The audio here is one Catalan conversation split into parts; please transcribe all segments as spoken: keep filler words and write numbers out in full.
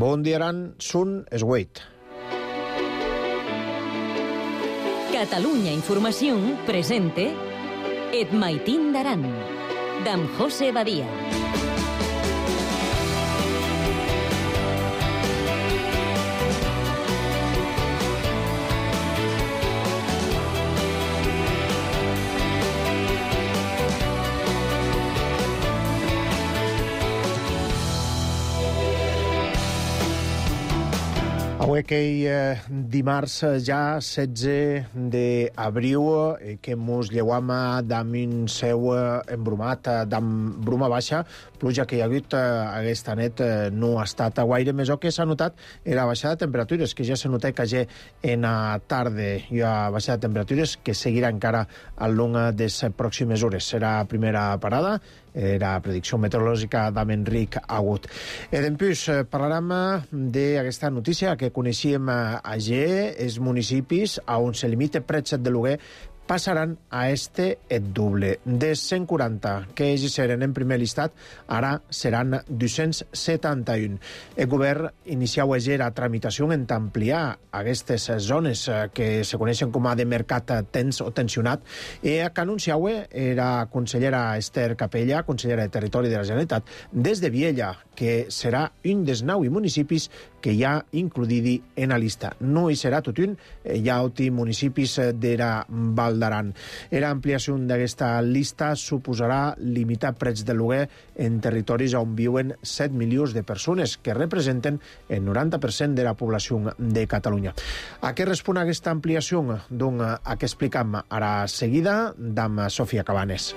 Bon dia, Aran, Sun Esgueit. Catalunya Informació presente Et Maitín d'Aran, d'en José Badia. Avui aquell eh, dimarts ja setze d'abril eh, que mos lleuam d'am un seu eh, embrumat, eh, d'am bruma baixa, pluja que hi ha hagut eh, aquesta nit eh, no ha estat gaire més. El que s'ha notat era baixada de temperatures, que ja s'ha notat que ja en la tarda hi ha baixada de temperatures que seguirà encara al long de les pròximes hores. Serà la primera parada, era predicció meteorològica d'en Enric Agut. E dempús parlarem d'aquesta notícia que coneixíem ayer, els municipis on se limita preus de lloguer passaran a este et doble. De cent quaranta que ells eren en primer llistat, ara seran dos-cents setanta-un. El govern iniciau ayer la tramitació en ampliar aquestes zones que se coneixen com a de mercat tens o tensionat, i que anunciau era consellera Esther Capella, consellera de Territori de la Generalitat, des de Viella, que serà un dels nou municipis que hi ha includidi en la llista. No hi serà tot un, hi ha altres municipis de la Val d'Aran. Era ampliació d'aquesta llista suposarà limitar preus de lloguer en territoris on viuen set milions de persones, que representen el noranta per cent de la població de Catalunya. A què respon aquesta ampliació? Doncs a què explicam ara seguida d'am Sofia Cabanes.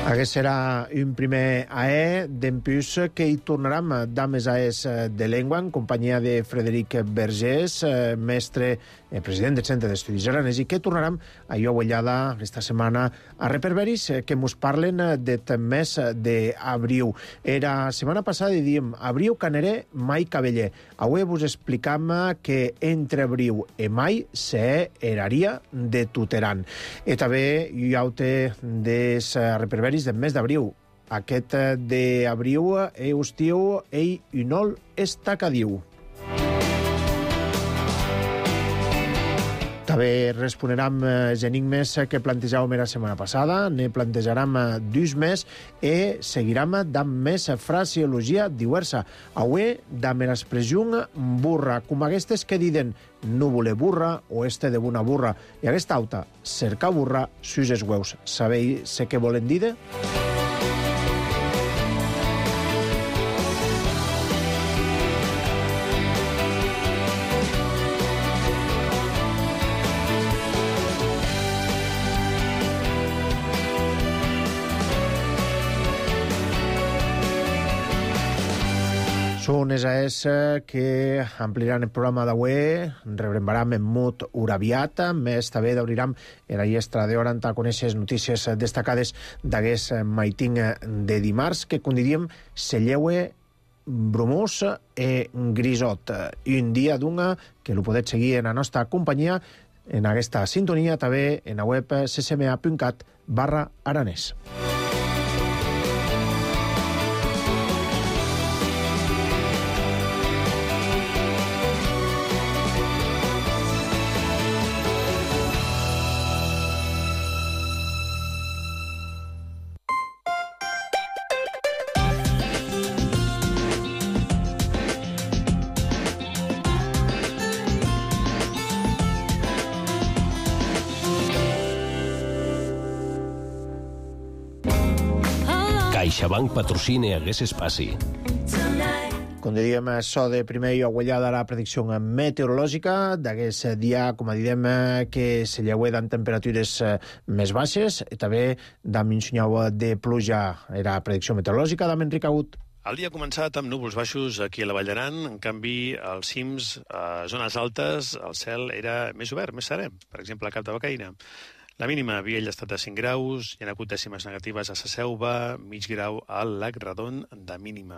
Aquest serà un primer A E, dempús que hi tornarem d'am les A Es de Llengua, en companyia de Frederic Vergés, mestre, president del Centre d'Estudis Aranès, i que tornarem a jo avellada aquesta setmana a reperberis que mos parlen del mes d'abril. Era setmana passada i diem abril caneré, mai cabeller. Avui vos explicam que entre abril i mai se eraria de tuteran. I també hi ha des reperberis del mes d'abril. Aquest d'abril e estiu ei unol estacadiu. També responerem els enigmes que plantejàvem la setmana passada, ne plantejarem dos més i seguirem d'am més fraseologia diversa. Avui d'am l'expressió burra, com aquestes que diuen no voler burra o este de bona burra. I aquesta alta, cercar burra sus els hueus. Sabeu què volen dir? Són les A Es que ampliaran el programa d'avui, rebrembaram en mut uraviat, més també d'obriram la llestra d'hora a conèixer les notícies destacades d'aquest maitín de dimarts, que, com diríem, se lleue bromós i grisot. Un dia d'una que ho podeu seguir en la nostra companyia, en aquesta sintonia, també en la web ccma punt cat barra aranès. CaixaBank patrocina aquest espai. Com diríem, això de primer i aguellada la predicció meteorològica d'aquest dia, com direm, que se lleuen temperatures més baixes, i també d'am un senyal de pluja. Era predicció meteorològica d'am Enric Agut. El dia ha començat amb núvols baixos aquí a la Vall d'Aran. En canvi, als cims, a zones altes, el cel era més obert, més serè. Per exemple, a Cap de Becaina. La mínima havia estat de cinc graus, hi ha hagut dècimes negatives a la Selva, mig grau al Lac Redon de mínima.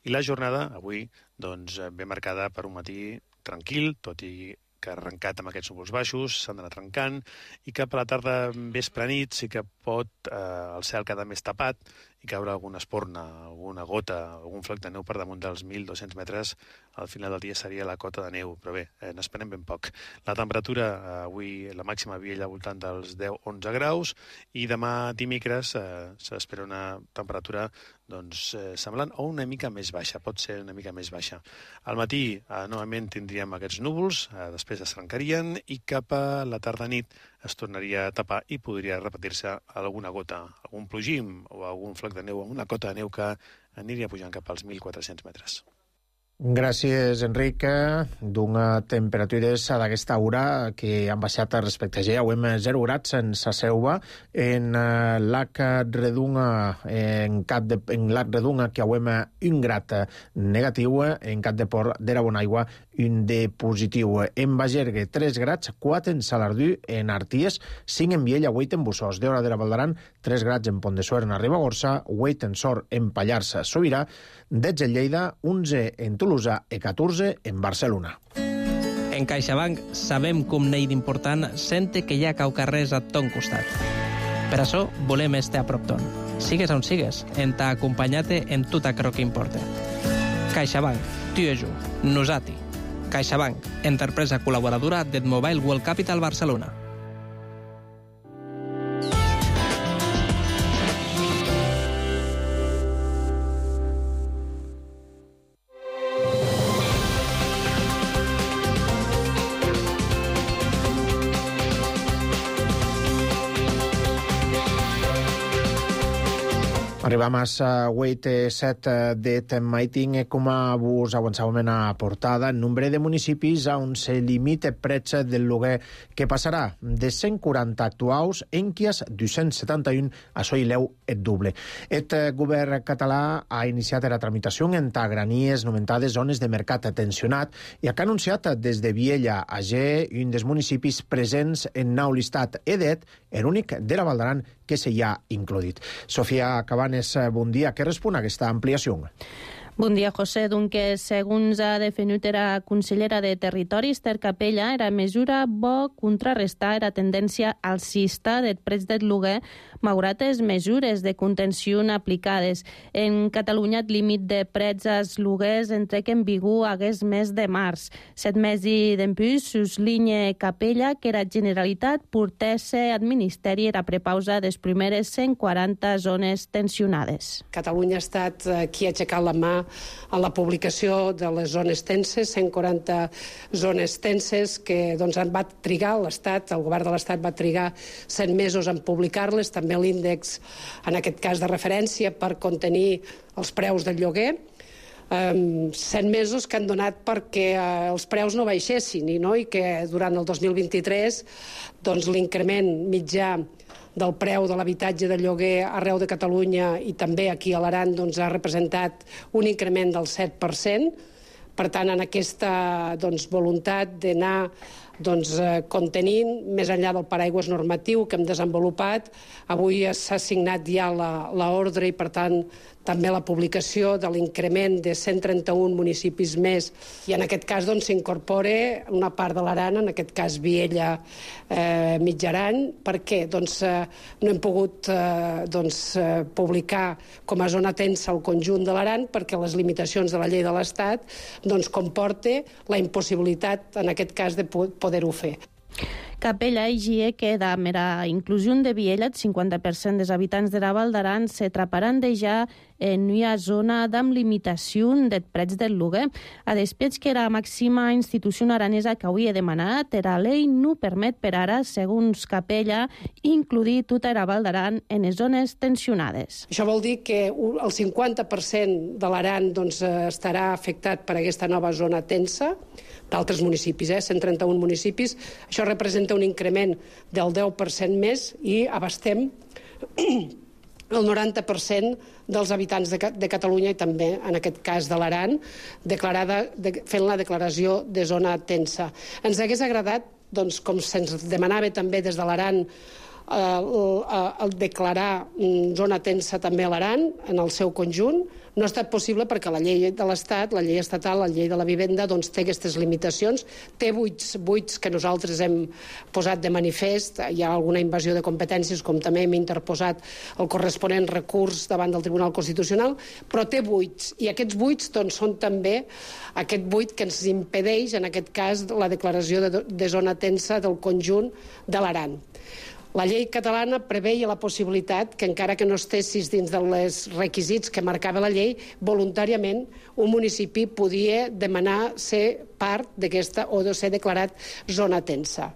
I la jornada, avui, doncs, ben marcada per un matí tranquil, tot i que ha arrencat amb aquests núvols baixos, s'han d'anar trencant, i cap a la tarda, vespre nit, sí que pot eh, el cel quedar més tapat i caure alguna espurna, alguna gota, algun floc de neu per damunt dels mil dos-cents metres. Al final del dia seria la cota de neu, però bé, eh, n'esperem ben poc. La temperatura, eh, avui la màxima havia al voltant dels deu a onze graus, i demà dimecres eh, s'espera una temperatura doncs, eh, semblant o una mica més baixa, pot ser una mica més baixa. Al matí, eh, novament, tindríem aquests núvols, eh, després es trencarien, i cap a la tarda-nit es tornaria a tapar i podria repetir-se alguna gota, algun plogim o algun floc de neu, una cota de neu que aniria pujant cap als mil quatre-cents metres. Gràcies, Enric. D'una temperatures d'aquesta hora que han baixat respecte a ja. Avui hem zero grats en sa Selva, en Lac Redunga, en Cap de, en Lac Redunga, que avui hem un grat negatiu, en Cap de Port de la Bonaigua, un de positiu. En Bagergue, tres grats, quatre en Salardú, en Arties, cinc en Viella, vuit en Bussós. D'Hora de la Valdaran, tres grats en Pont de Suert, en Ribagorça, vuit en Sort, en Pallars, Sobirà, dotze en Lleida, onze en Tolosa i catorze en Barcelona. En CaixaBank sabem que un nei d'important sente que hi ha caucarrers a ton costat. Per això volem estar a prop ton. Sigues on sigues, en t'ha acompanyat en tot aquello que importa. CaixaBank, tu i jo, nosati. CaixaBank, empresa col·laboradora del Mobile World Capital Barcelona. Arribam a vuit set de Maiting, com vos avançàvem en la portada, el nombre de municipis on se limita el preu del lloguer, que passarà de cent quaranta actuals en quias dos-cents setanta-un a soileu el doble. El govern català ha iniciat la tramitació en granies nomentades zones de mercat tensionat i ha anunciat des de Viella a G, un dels municipis presents en nou listat edet, l'únic de la Valdaran que se hi ha includit. Sofia Cabanes, bon dia. Què respon a aquesta ampliació? Bon dia, José. Doncs, segons ha definit la consellera de Territori, Esther Capella, la mesura vol contrarrestar la tendència alcista del preu del lloguer malgrat les mesures de contenció aplicades. En Catalunya, el límit de preus als lloguers entrec en vigor hagués mes de març. Set mesos d'empús, suslinya Capella que la Generalitat portesse al Ministeri la prepausa de les primeres cent quaranta zones tensionades. Catalunya ha estat qui ha aixecat la mà en la publicació de les zones tenses, cent quaranta zones tenses que doncs, va trigar l'Estat, el govern de l'Estat va trigar cent mesos en publicar-les, també l'índex, en aquest cas de referència, per contenir els preus del lloguer. Um, cent mesos que han donat perquè uh, els preus no baixessin i, no? I que durant el dos mil vint-i-tres doncs, l'increment mitjà del preu de l'habitatge de lloguer arreu de Catalunya i també aquí a l'Aran doncs, ha representat un increment del set per cent. Per tant, en aquesta doncs, voluntat d'anar doncs, contenint, més enllà del paraigües normatiu que hem desenvolupat, avui s'ha signat ja l'ordre i, per tant, també la publicació de l'increment de cent trenta-un municipis més i en aquest cas doncs, s'incorpora una part de l'Aran, en aquest cas Viella eh, Mitjaran. Per què? Doncs, eh, no hem pogut eh, doncs, eh, publicar com a zona tensa el conjunt de l'Aran perquè les limitacions de la llei de l'Estat doncs, comporta la impossibilitat, en aquest cas, de poder-ho fer. Capella exigia que amb la inclusió de Viella, el cinquanta per cent dels habitants de la Val d'Aran se traparan de ja en una zona amb limitació del preu del lloguer. A després que la màxima institució aranesa que hauria demanat, la llei no permet per ara, segons Capella, incluir tota la Val d'Aran en les zones tensionades. Això vol dir que el cinquanta per cent de l'Aran doncs, estarà afectat per aquesta nova zona tensa, d'altres municipis, eh? cent trenta-un municipis. Això representa un increment del deu per cent més i abastem el noranta per cent dels habitants de, de Catalunya i també, en aquest cas, de l'Aran, declarada, de, fent la declaració de zona tensa. Ens hagués agradat, doncs, com se'ns demanava també des de l'Aran, eh, el, el declarar zona tensa també a l'Aran, en el seu conjunt. No ha estat possible perquè la llei de l'Estat, la llei estatal, la llei de la vivenda, doncs té aquestes limitacions, té buits, buits que nosaltres hem posat de manifest, hi ha alguna invasió de competències, com també hem interposat el corresponent recurs davant del Tribunal Constitucional, però té buits, i aquests buits doncs, són també aquest buit que ens impedeix, en aquest cas, la declaració de, de zona tensa del conjunt de l'Aran. La llei catalana preveia la possibilitat que, encara que no estessis dins dels requisits que marcava la llei, voluntàriament un municipi podia demanar ser part d'aquesta o de ser declarat zona tensa.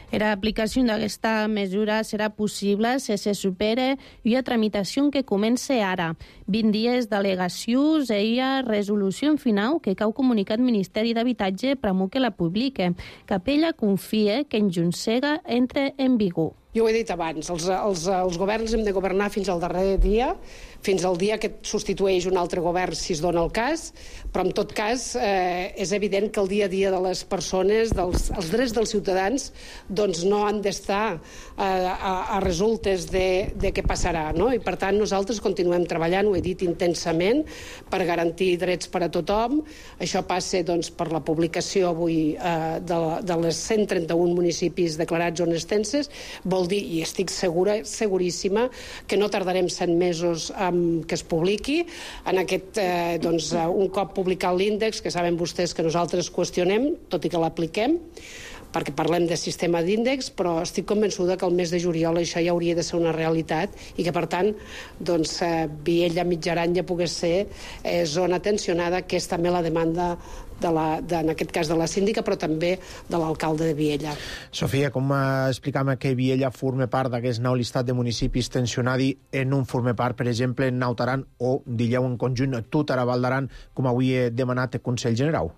Era aplicació d'aquesta mesura serà possible si se supera una tramitació que comença ara. vint dies d'al·legacions i a resolució en final que cau comunicat Ministeri d'Habitatge promou que la publique. Capella confia que en Junsega entre en vigor. Jo ho he dit abans, els, els, els governs hem de governar fins al darrer dia, fins al dia que substitueix un altre govern si es dona el cas, però en tot cas eh, és evident que el dia a dia de les persones, dels, els drets dels ciutadans, doncs no han d'estar eh, a, a resultes de, de què passarà, no? I per tant nosaltres continuem treballant, ho he dit intensament, per garantir drets per a tothom. Això passa doncs, per la publicació avui eh, de, de les cent trenta-un municipis declarats zones tenses. Vol dir, i estic segura, seguríssima, que no tardarem set mesos um, que es publiqui. En aquest, eh, doncs, un cop publicat l'índex, que saben vostès que nosaltres qüestionem, tot i que l'apliquem, perquè parlem de sistema d'índex, però estic convençuda que el mes de juliol això ja hauria de ser una realitat i que, per tant, doncs, eh, Viella Mitjaran ja pogués ser eh, zona tensionada, que és també la demanda de la, de, en aquest cas de la síndica, però també de l'alcalde de Viella. Sofia, com explicam que Viella forma part d'aquest nou llistat de municipis tensionadi, en un forma part, per exemple, en Nautaran o, dilleu en conjunt, tot ara Val d'Aran, com avui he demanat el Consell General?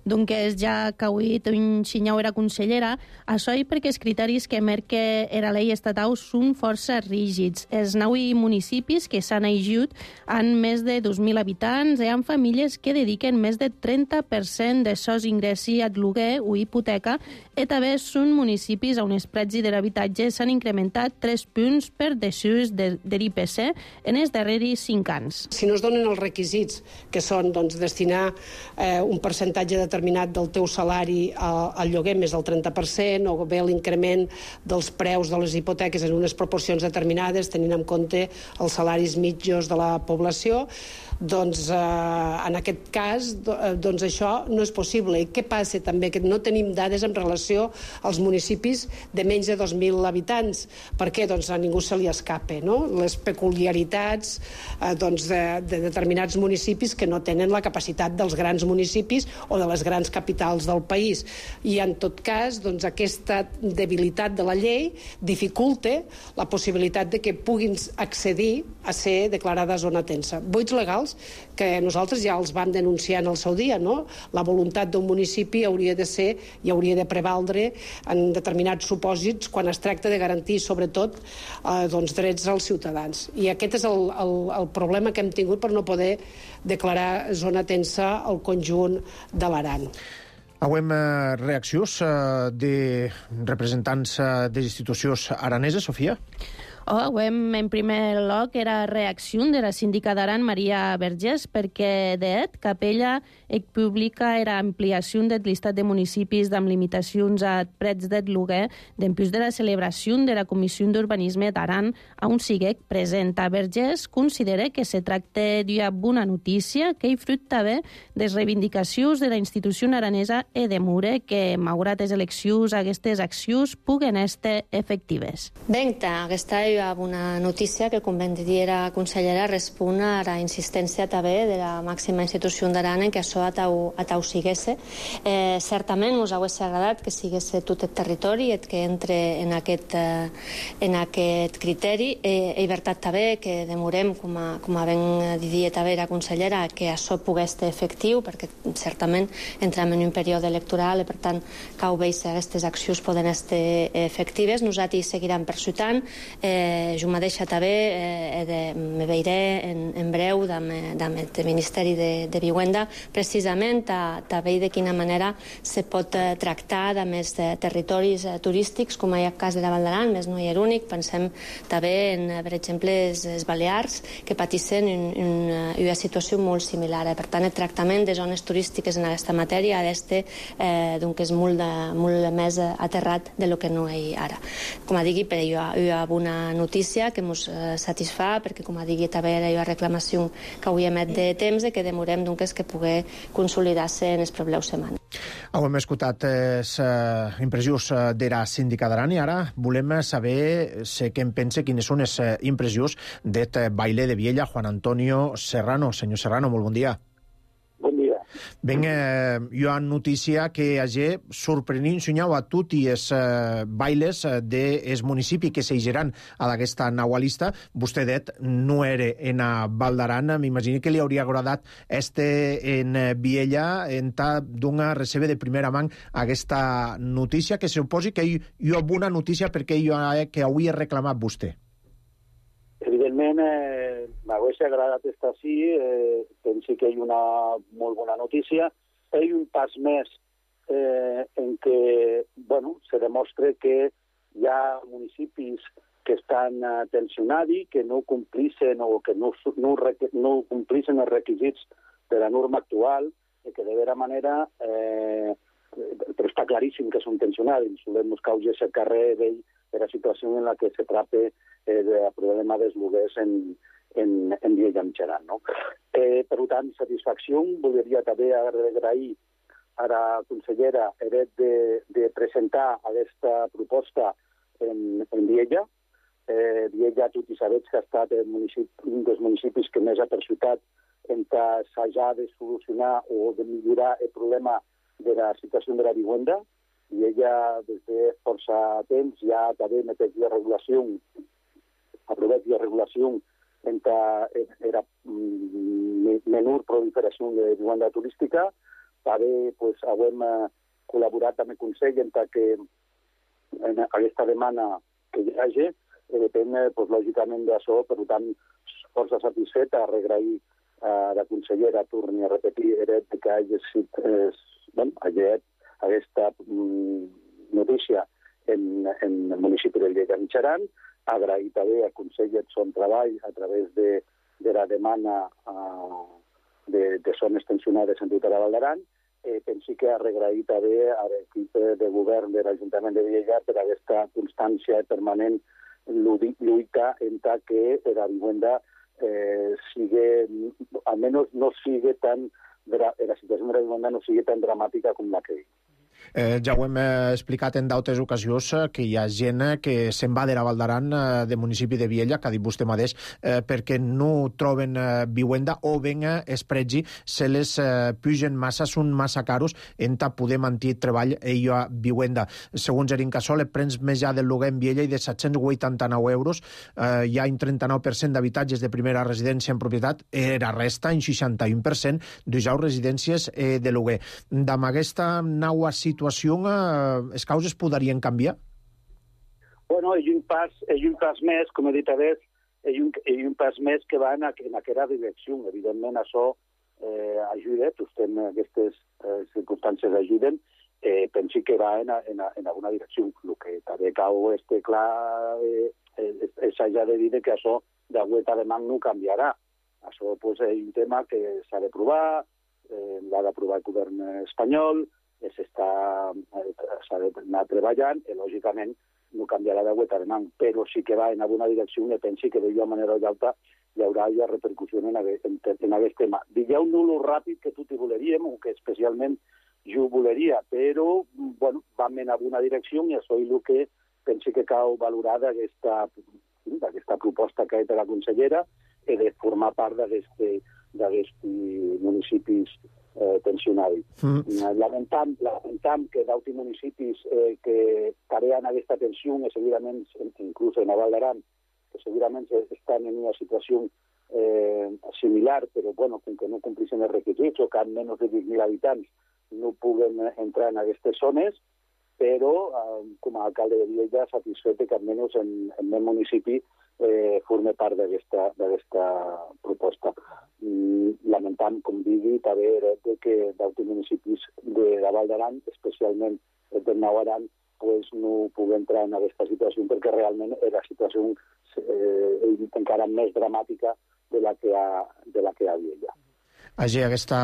Doncs ja que avui un xinyau era consellera, això i perquè els criteris que marca era llei estatal són força rígids. Els nou municipis que s'han ajut han més de dos mil habitants i han famílies que dediquen més de trenta per cent de sos ingressi a lloguer o hipoteca, i també són municipis on els preus de l'habitatge s'han incrementat tres punts per desús de, de l'I P C en els darrers cinc anys. Si no es donen els requisits, que són doncs, destinar eh, un percentatge de determinat del teu salari al lloguer més del trenta per cent, o bé l'increment dels preus de les hipoteques en unes proporcions determinades, tenint en compte els salaris mitjos de la població, doncs eh, en aquest cas doncs això no és possible. I què passa també? Que no tenim dades en relació als municipis de menys de dos mil habitants. Per què? Doncs a ningú se li escapa, no? Les peculiaritats eh, doncs de, de determinats municipis que no tenen la capacitat dels grans municipis o de les grans capitals del país. I en tot cas, doncs, aquesta debilitat de la llei dificulta la possibilitat de que puguin accedir a ser declarada zona tensa. Buits legals que nosaltres ja els vam denunciar en el seu dia, no? La voluntat d'un municipi hauria de ser i hauria de prevaldre en determinats supòsits quan es tracta de garantir, sobretot, eh, doncs, drets als ciutadans. I aquest és el, el, el problema que hem tingut per no poder declarar zona tensa al conjunt de l'Aran. Avem eh, reaccions eh, de representants eh, de les institucions araneses, Sofia? Oh, avem, en primer lloc, era reacció de la síndica d'Aran, Maria Vergés, perquè d'et Capella ec publica era ampliació del llistat de municipis amb limitacions a preus de lloguer dempús de la celebració de la Comissió d'Urbanisme d'Aran, on sigue present. A Vergés considera que se tracta d'una bona notícia que hi fruit també de les reivindicacions de la institució aranesa e de Mure que, malgrat les eleccions, aquestes accions puguen estar efectives. Benta, aquesta és una notícia que, com ben diera consellera, respon a la insistència també de la màxima institució d'Aran en que això atau, atau siguesse. Eh, certament us hauria agradat que siguesse tot el territori i que entre en aquest, eh, en aquest criteri. Eh, és veritat també que demorem, com a, com a ben didia també la consellera, que això pogués ser efectiu, perquè certament entrem en un període electoral i per tant cau veure si aquestes accions poden estar efectives. Nosaltres seguirem persutant. Eh, Eh, jo mateixa també eh, de, me veuré en, en breu amb el Ministeri de, de Vivenda precisament a, a veure de quina manera se pot eh, tractar de més de territoris eh, turístics, com hi ha el cas de la Val d'Aran, més no hi ha l'únic. Pensem també en, per exemple, les, les Balears, que patissen un, un, una situació molt similar. Per tant, el tractament de zones turístiques en aquesta matèria ha d'estar eh, doncs, molt, de, molt més aterrat de lo que no hi ara. Com a digui, però hi ha, hi ha una notícia que ens eh, satisfà, perquè com a digui també hi ha reclamació que avui emet de temps i que demorem doncs, que pugui consolidar-se en les properes setmanes. Hem escoltat les uh, impressions d'era síndica d'Aran i ara volem saber sé què en pensa, quines són les uh, impressions d'et baile de Viella, Juan Antonio Serrano. Senyor Serrano, molt bon dia. Bon dia. Ben, eh, hi ha notícia que hagi sorprenent soñau a tots els eh, bailes dels municipis que s'eigeran a aquesta naua lista. Vostè det no era en a Val d'Aran, m'imagino que li hauria agradat este en Viella en ta d'una recebe de primera mà aquesta notícia, que suposi que hi, hi ha bona notícia perquè hi ha que avui ha reclamat vostè. Evidentment, eh, m'hagués agradat estar així, eh, penso que hi ha una molt bona notícia. Hi ha un pas més eh, en què bueno, se demostra que hi ha municipis que estan eh, tensionats, que no complixen o que no, no, no complixen els requisits de la norma actual, i que de vera manera, eh, però està claríssim que són tensionats. Solem buscar el carrer vell de la situació en la que se trata eh, el problema dels lloguers en, en, en Viella Mitjaran. No? Eh, per tant, satisfacció. Voldria també agrair a la consellera Eret de, de presentar aquesta proposta en, en Viella. Eh, Viella, tot i sabeu que ha estat el municipi, un dels municipis que més ha perjudicat en què s'hagi de solucionar o de millorar el problema de la situació de la vivenda, i ella des de força temps ja també meteix la regulació, aprovat la regulació en què era menor proliferació de vivenda turística. També pues, hem col·laborat amb el Consell en que en aquesta demanda que hi hagi depèn, pues, lògicament, d'això, per tant, força satisfet a regrair a la consellera, torni a repetir, Eret, que hagi eh, bueno, aquesta mm, notícia en, en el municipi de Viella Mitjaran, agrair també al Consell de Son Treball a través de, de la demanda uh, de, de zones tensionades en tota la Val d'Aran. Eh, penso que agrair també a l'equip de govern de l'Ajuntament de Viella per aquesta constància permanent lluita en que la vivenda eh, sigue, almenys no sigue tan, la situació de la vivenda no sigue tan dramàtica com la que hi. Eh, ja ho hem eh, explicat en d'altres ocasions eh, que hi ha gent eh, que se'n va de la Val d'Aran eh, de municipi de Viella, que ha dit vostè mateix, eh, perquè no troben eh, vivenda o ben eh, es pregi se les eh, pugen massa, són massa caros en ta poder mantenir treball i hi ha vivenda. Segons l'Incasòl, el prens més ja del lloguer en Viella i de set-cents vuitanta-nou euros, eh, hi ha un trenta-nou per cent d'habitatges de primera residència en propietat, i la resta, un seixanta-u per cent, d'ujar residències eh, de lloguer. Amb aquesta nova situació, eh, les causes podrien canviar? Bueno, hi ha un pas, hi ha un pas més, com he dit abans, hi ha un, hi ha un pas més que va en, en aquesta direcció. Evidentment, això eh, ajuda, en aquestes eh, circumstàncies ajuden, eh, penso que va en, en, en alguna direcció. El que també cau este clar eh, és ja de dir que això d'agüeta de man no canviarà. Això pues, és un tema que s'ha de provar, eh, l'ha d'aprovar el govern espanyol, s'ha d'anar treballant i, lògicament, no canviarà d'agüeta de man, però sí que va en alguna direcció i pensi que d'una manera o altra hi haurà ja repercussió en, en, en aquest tema. Digueu no lo ràpid que tots hi voleríem, o que especialment jo voleria, però bueno, vam en alguna direcció i això és el que penso que cal valorar d'aquesta proposta que ha fet la consellera i de formar part d'aquests municipis eh, tensionats. Mm. Lamentam, lamentam que d'altres municipis eh, que careen aquesta tensió, i segurament, inclús en la Val d'Aran, que segurament estan en una situació eh, similar, però bueno, com que no complixen els requisits o que han menys de vint mil habitants no puguen entrar en aquestes zones, però eh, com a alcalde de Viella satisfet que almenys en, en el meu municipi eh, forme part d'aquesta proposta. I lamentam, com digui, també de que d'altres municipis de la Val d'Aran, especialment el del Nou Aran, pues, no pugui entrar en aquesta situació perquè realment era la situació eh, encara més dramàtica de la que ha, de la que hi havia ja. Hagi aquesta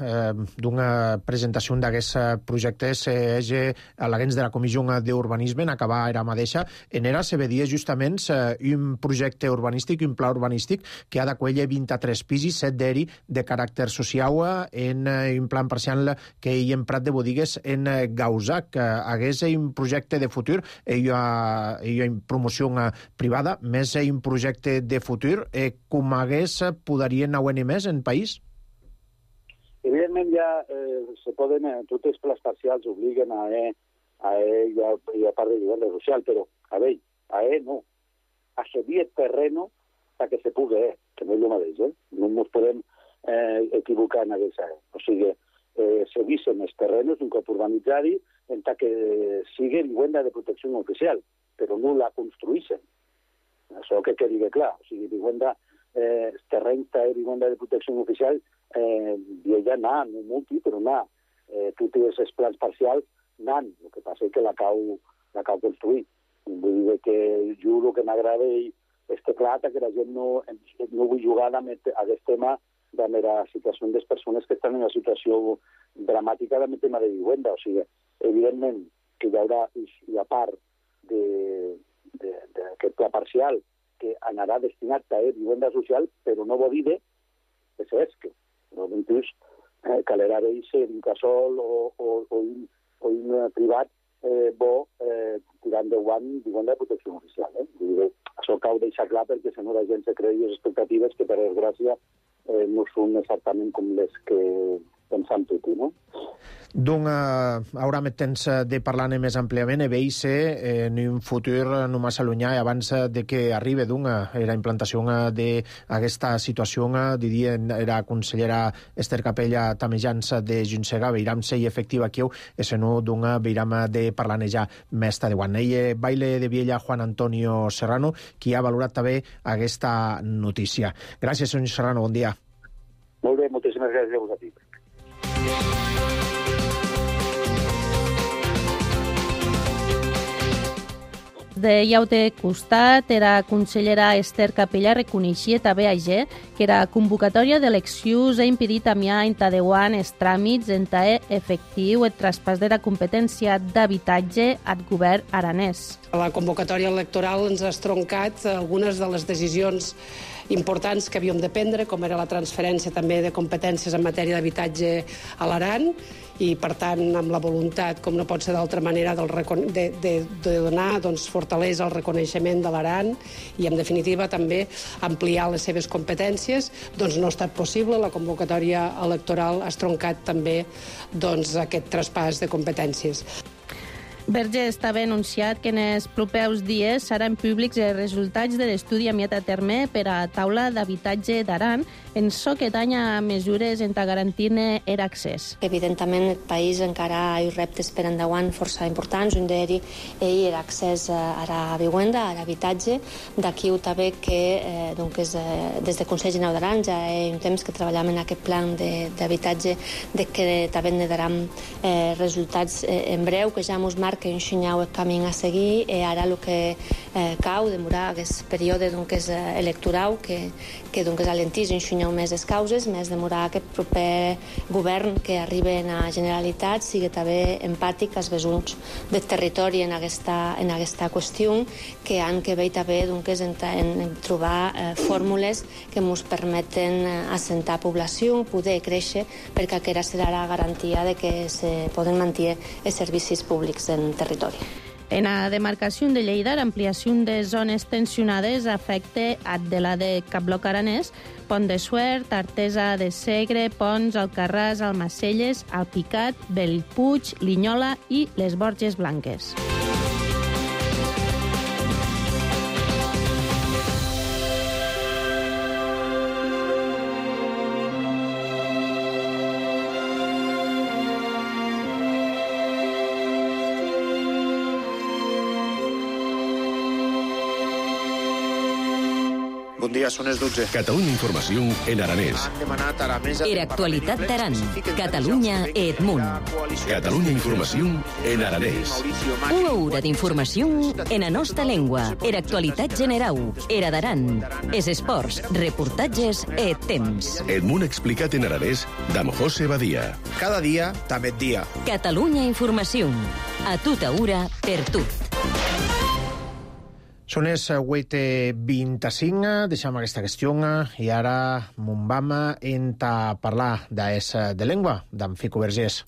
eh, d'una presentació d'aquests projectes eh, hagi a l'agents de la Comissió d'Urbanisme en acabar era mateixa en era se vedia justament eh, un projecte urbanístic, un pla urbanístic que ha d'acollir vint-i-tres pisos, set d'eri de caràcter social en eh, un plan parcial que hi ha emprat de botigues en eh, Gausà, que hagués un projecte de futur, hi ha, hi ha promoció privada, més un projecte de futur, eh, com hagués poderien anar més en país? Evidentment ja eh, se poden, eh, tots els plans parcials obliguen a E, a E i a, i a part de vivenda social, però a veure, a E no. A cedir el terreno para que se pugui E, que no és el mateix, eh? No ens podem eh, equivocar en aquesta E. O sigui, eh, cedissin els terrenos d'un cop urbanitzari en tant que sigui vivenda de protecció oficial, però no la construïssin. Això que quedi clar. O sigui, vivenda, eh, terreny de vivenda de protecció oficial eh, ja n'ha, no multi, però n'ha. Eh, tots els plans parcials n'han. El que passa és que la cau, la cau construir. Vull dir que jo el que m'agrada és que clar, que la gent no, no vull jugar amb aquest tema de la situació de les persones que estan en una situació dramàtica amb el tema de vivenda. O sigui, evidentment que hi haurà, i a part d'aquest pla parcial, que anarà destinat a vivenda social, però no vol dir que s'esque. Inclús eh, calerà d'eixe un casol o, o, o, un, o un privat eh, bo eh, tirant de guant vivenda de protecció oficial. Eh? Dir, això cal deixar clar perquè si no la gent se creï les expectatives que per desgràcia eh, no són exactament com les que pensam tot, no? Doncs uh, haurà més temps de parlar-ne més àmpliament i veig en un futur no massa llunyà abans de que arribi doncs la implantació d'aquesta situació, diria, la consellera Esther Capella Tamejans de Juntsega, veiram si és efectiva aquí, i si no, doncs veiram de parlar-ne ja més tardeuant. Ell baile de Viella Juan Antonio Serrano, qui ha valorat també aquesta notícia. Gràcies, senyor Serrano, bon dia. Molt bé, moltíssimes gràcies a vosaltres. De llaute costat, era consellera Esther Capella reconeixia també ayer que la convocatòria d'eleccions ha impedit a mi entadeuant els tràmits en tae efectiu el traspàs de la competència d'habitatge al govern aranès. La convocatòria electoral ens ha estroncat algunes de les decisions importants que havíem de prendre, com era la transferència també de competències en matèria d'habitatge a l'Aran, i, per tant, amb la voluntat, com no pot ser d'altra manera, del de, de, de donar doncs, fortalesa al reconeixement de l'Aran i, en definitiva, també ampliar les seves competències, doncs no ha estat possible. La convocatòria electoral ha estroncat també doncs, aquest traspàs de competències. Vergés també ha anunciat que en els propers dies seran públics els resultats de l'estudi enviat a terme per a taula d'habitatge d'Aran en so que tanya mesures en garantir-ne l'accés. Evidentment, el país encara hi ha reptes per endavant força importants. Un d'ells és l'accés a la vivenda, a l'habitatge. D'aquí també que eh, doncs, eh, des del Consell General d'Aran ja hi ha un temps que treballem en aquest plan d'habitatge de, de que també ne daran eh, resultats eh, en breu, que ja ens marca que ensenyau el camí a seguir i ara el que eh, cau demorar aquest període doncs, electoral que, que doncs, alentís ensenyau més les causes, més demorar aquest proper govern que arriba a la Generalitat sigui també empàtic als vessons del territori en aquesta, en aquesta qüestió, que han que veure també doncs, en, en trobar eh, fórmules que ens permeten assentar població, poder créixer, perquè aquesta serà la garantia de que se poden mantenir els servicis públics en territori. En la demarcació de Lleida, l'ampliació de zones tensionades afecta Adela de Capbloc Aranès, Pont de Suert, Artesa de Segre, Pons, Alcarràs, Almacelles, Alpicat, Bellpuig, Linyola i les Borges Blanques. Bon dia, són les dotze. Catalunya Informació en aranès. Han demanat ara més... Era actualitat d'Aran. Catalunya Edmunt. Catalunya Informació en aranès. Una hora d'informació en la nostra llengua. Era actualitat generau. Era d'Aran. Es esports, reportatges e temps. Edmunt explicat en aranès d'Am José Badia. Cada dia, també et dia. Catalunya Informació. A tota hora, per tot. Són les vuit i vint-i-cinc, deixem aquesta qüestió i ara m'on vam a parlar d'es de llengua, d'en Fico Vergés.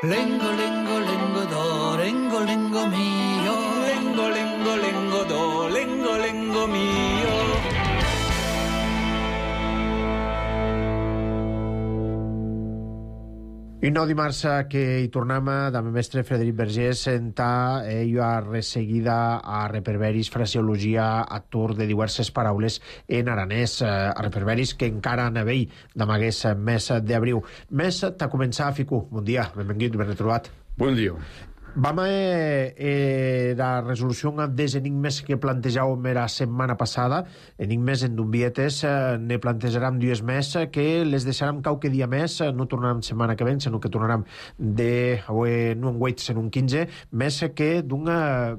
Lengo, lengo, lengo, do, lengo, lengo mio. Lengo, lengo, lengo, do, lengo, lengo mio. I no dimarts que hi tornem amb el mestre Frederic Vergés senta ell a resseguida a reperberis fraseologia a tour de diverses paraules en aranès, a reperberis que encara n'havei d'amagués mes d'abril. Mes t'ha començat, Fico. Bon dia, benvingut, ben retrobat. Bon dia. Vam a eh, la resolució dels enigmes que plantejàvem la setmana passada, enigmes en dumbietes, eh, ne plantejarem dues més, que les deixarem qualque dia més, no tornarem setmana que ven, sinó que tornarem de, eh, no en vuit, sinó en quinze, més que d'un eh,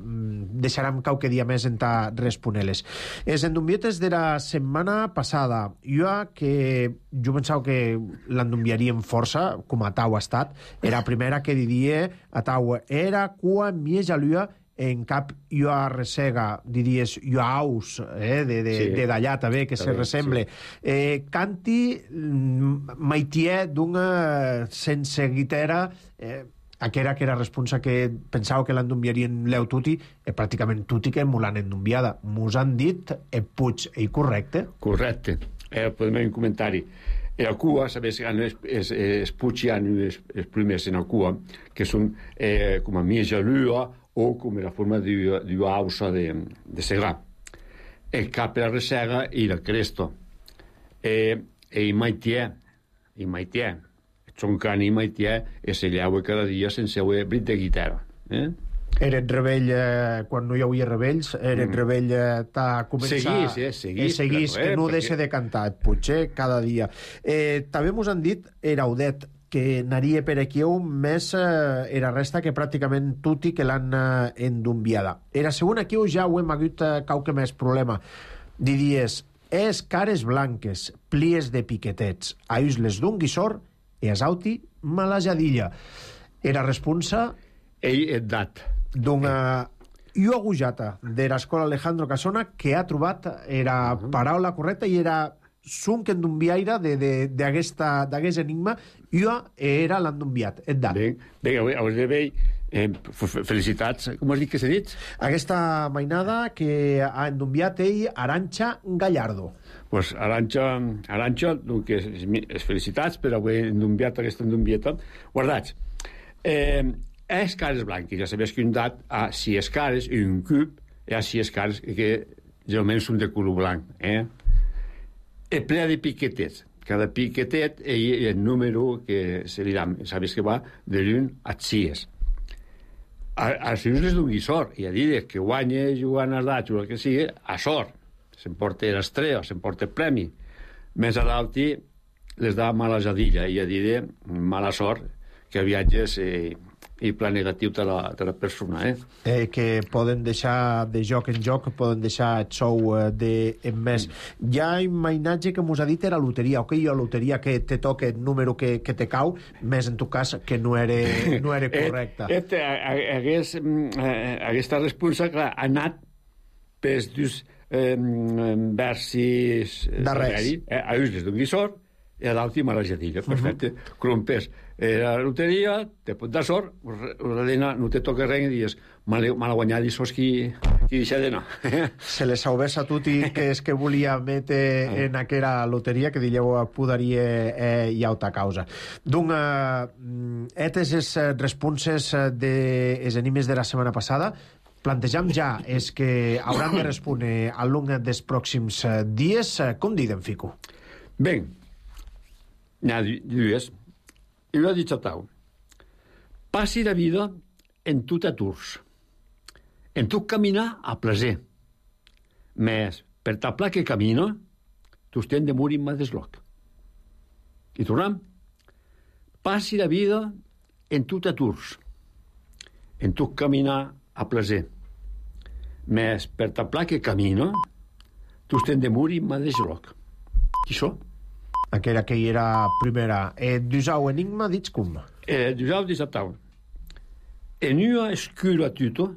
deixarem qualque dia més en ta responer-les. Els endumbietes de la setmana passada, jo que jo pensava que l'endumbiaríem força, com a tau ha estat, era la primera que diria a tau, era quan mi jalua en cap jo a resega, diries jo aus, eh, de, de, sí. de d'allà també, que se ressemble. Sí. Eh, canti maitier d'una sense guitera, eh, aquera que era responsa que pensava que l'endumbiarien l'eu tuti, e pràcticament tuti que m'ho l'han endumbiada. Mos han dit e puig, e correcte? Correcte. Eh, podem un comentari. E a cua, sabes, es, es, es puig han els, els primers en a cua, que són eh, com a miesa lua o com la forma d'uausa de, de segar. El cap la resega i la cresto. E, e i maitier, i maitier, són can i maitier, e se llaua cada dia sense haver brit de guitarra. Eh? Eren rebell, eh, quan no hi havia rebells, eren mm. rebell eh, t'ha començat... Seguís, eh, seguís. Eh, seguís, que no perquè... deixa de cantar, potser cada dia. Eh, també mos han dit, Eraudet, que anaria per aquí un més eh, era resta que pràcticament tutti que l'han eh, endumbiada. Era segon aquí ja ho hem hagut eh, qualque més problema. Diries, es cares blanques, plies de piquetets, aïs les d'un guissor e asauti malajadilla. Era responsa... Ell et dat. D'una jo agujata de l'escola Alejandro Casona que ha trobat era uh -huh. paraula correcta i era sunc endumbiaire d'aquest enigma. Jo era l'endumbiat, et dat. Bé, bé, avui de bé, eh, felicitats. Com has dit que s'ha dit? Aquesta mainada que ha endumbiat ell Arantxa Gallardo. Pues Arantxa, Arantxa, doncs, es felicitats per haver endumbiat aquesta endumbieta. Guardats. Eh... És cares blanques, ja sabés que un dat a sis cares i un cub i a sis cares que generalment són de color blanc. Eh? És ple de piquetets. Cada piquetet és el número que se li dà, sabés que va de l'un a sis. Als uns les d'un guissor, i a dir que guanya jugant als dats o el que sigui, a sort. S'emporta l'estrella, s'emporta el premi. Més a l'alti les dà mala jadilla, i a dir mala sort, que viatges... Eh, i pla negatiu de la, de la persona, eh? eh? Que poden deixar de joc en joc, poden deixar el sou eh, de en més. Mm. Hi ha imatge que mos ha dit era loteria, ok, jo loteria que te toca el número que, que te cau, més en tu cas que no era, no era correcte. Et, et, hagués, aquesta resposta, clar, ha anat pels dos eh, versis darrers. Eh, a uns les d'un guissor i a l'última la jadilla, perfecte. Uh -huh. Crompers eh, la loteria, te pot dar sort, Rodena, no te toca res i dius, mal, mal guanyat i sos qui, qui deixa d'anar. Se les saubés a tutti que és que volia metre ah. en aquella loteria que dillau podaria eh, i auta causa. Donc, eh, etes les responses dels enigmes de la setmana passada, plantejam ja és que hauran de respondre al long dels pròxims dies. Com diden, Fico? Ben, n'hi ha dues. I ho ha dit a tau. passi la vida en tu t'aturs. En tu caminar a plaer. Més, per ta pla que camina, tu estem de morir mà desloc. I tornem. Passi la vida en tu t'aturs. En tu caminar a plaer. Més, per ta pla que camina, tu estem de morir mà desloc. I això? Aquella que hi era primera. Eh, Dusau enigma, dits com? Eh, Dusau disatau. En una escura tuto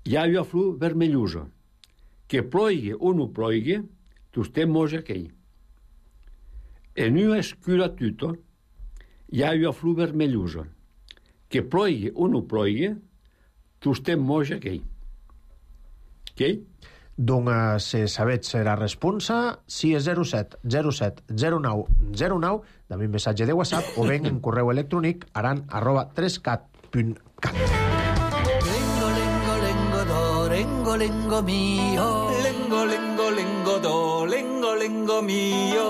hi ha una flor vermellosa. Que ploigui o no ploigui, tu estem moja aquell. En una escura tuto hi ha una flor vermellosa. Que ploigui o no ploigui, tu estem moja aquell. Aquell? Doncs, si sabets la responsa, si és zero set zero set zero nou zero nou, també un missatge de WhatsApp o ben en correu electrònic aran arroba trescat punt cat. Lengo, lengo, lengo, do, lengo, lengo mio. Lengo, lengo, lengo, do, lengo, lengo mio.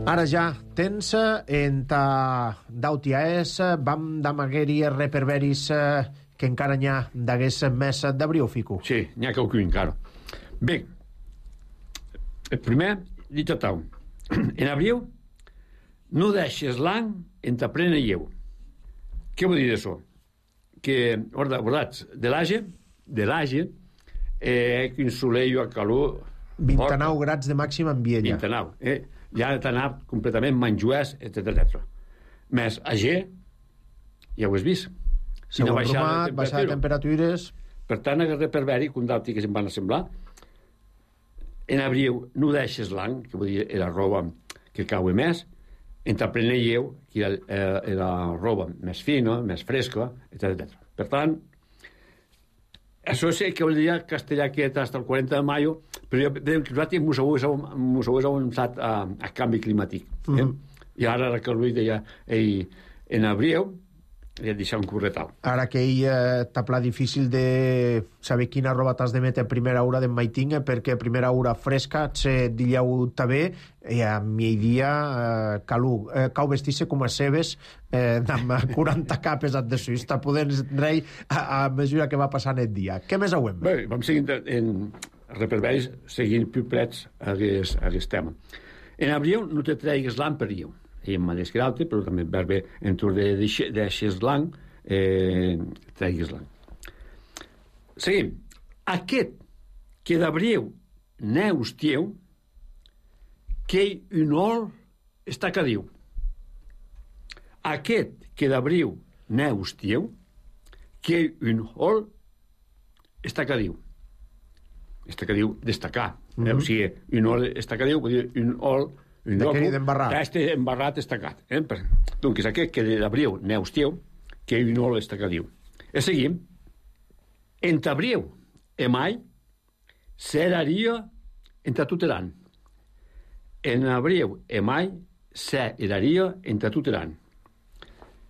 Ara ja, tens en ta dautia és, vam d'amagueri reperveris que encara n'hi ha d'agués més d'abril, Fico. Sí, n'hi ha qualcú encara. Bé, el primer, dit a tau. En abril, no deixes l'any en ta plena lleu. Què vol dir això? Que, guardats, de l'age, de l'age, eh, que un soleil a calor... vint-i-nou grads de màxima en Viella. vint-i-nou, eh? Ja ha d'anar completament manjuès, etcètera, etcètera. Més ager, ja ho has vist. Segon bromat, baixada de temperatures... Per tant, aquest reperberi, que un d'altre que se'n van assemblar, en abril no deixes l'any, que vull dir, era roba que cau més, en ta plena lleu, que era, era, era roba més fina, més fresca, etcètera, etcètera. Per tant, això sí que vol dir castellà que hasta el quaranta de maio, però jo nosaltres mos heu avançat a, a canvi climàtic. Eh? Mm -hmm. I ara que el Lluís deia ei, en abril li he deixat un corretal. Ara que ell eh, t'ha pla difícil de saber quina roba t'has de metre a primera hora de maitinga, perquè a primera hora fresca se dilleu també i a migdia eh, calu, eh, cau vestir-se com a cebes eh, amb quaranta capes de suís, t'ha podent rei a, a mesura que va passant el dia. Què més auem? Bé, vam seguint en reperveris seguint piplets a aquest tema. En abril no te tregues l'any per riu. I en mateix que l'altre, però també per bé en tur de deixes l'any, eh, tregues l'any. Seguim. Aquest que d'abril neus tieu, que un ol està cadiu. Aquest que d'abril neus tieu, que un ol està cadiu. Està cadiu destacar. Mm -hmm. O sigui, un ol està cadiu, vull dir, un ol un de què d'embarrat. Este embarrat estacat. Eh? Doncs aquest que d'abril neus tieu, que un ol està diu. I seguim. En t'abril e mai seraria en tatuteran. En abril e mai seraria en tatuteran.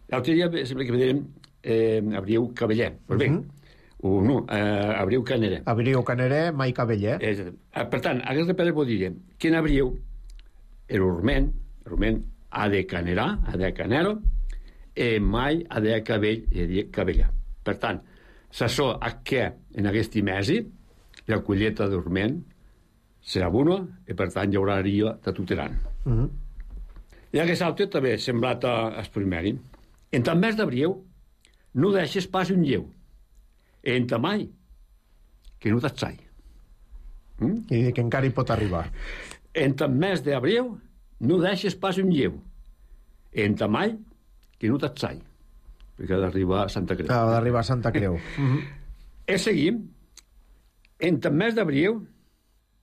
L'altre dia sembla que veiem eh, abril cabeller. Pues bé, mm -hmm. o no, eh, abril caneré. Abril caneré, mai cabeller. Eh, per tant, aquest repere vol dir que en abril l'urment, l'urment ha de canerà, ha de canero, i mai ha de cabell, i de cabella. Per tant, s'assò a què en aquest mesi la colleta d'urment serà bona i per tant hi haurà ria tatuteran. Uh -huh. I aquest altre també semblat al primeri. En el mes d'abril no deixes pas un lleu. En ta mai que no t'atzai. Mm? I que encara hi pot arribar. En el mes d'abril no deixes pas un lleu. En ta mai que no t'atzai. Perquè ha d'arribar a Santa Creu. Ha d'arribar a Santa Creu. uh-huh. I seguim. En el mes d'abril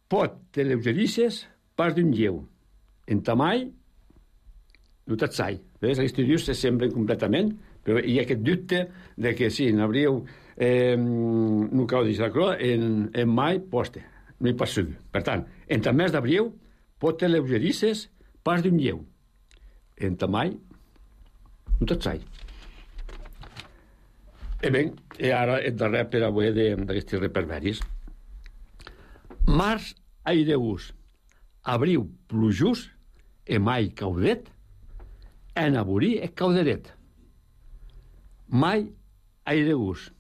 pot te lleugerisses pas d'un lleu. En ta mai no t'atzai. Ves? Aquests dius se semblen completament, però hi ha aquest dubte de que sí, en abril eh, no cau dins la croa, en, en mai poste. No hi pot seguir. Per tant, en el mes d'abril pot te lleugerisses pas d'un lleu. En ta mai no t'atzai. I bé, i ara el darrer per avui d'aquests reperveris. Març aireus, abril plujós e mai caudet, en aborí e cauderet. Mai airegus,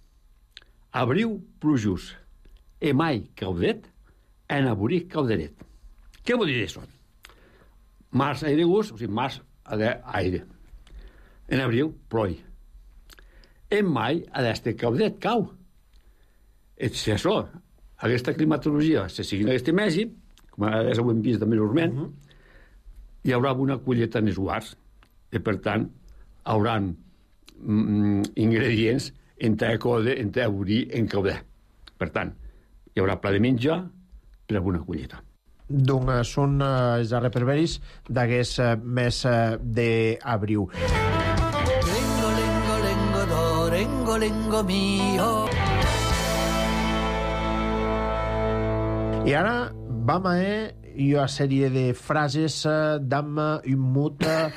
abriu plujus, e mai caudet, en aborí cauderet. Què vol dir això? Març airegus, o sigui, març aire. En abril, ploi. En mai, a d'este caudet, cau. Et si això, aquesta climatologia, se sigui en aquest mesi, com ara ho hem vist també normalment, uh -huh. hi haurà una colleta en els guards, i per tant, hauran mm, ingredients entre code, entre aborí, en caudet. Per tant, hi haurà pla de menjar per a una colleta. Doncs són uh, els reperberis d'aquest uh, mes uh, d'abril. Lengo, lengo, lengo, do, lengo, lengo mio. I ara vam a una sèrie de frases uh, d'am un mut uh,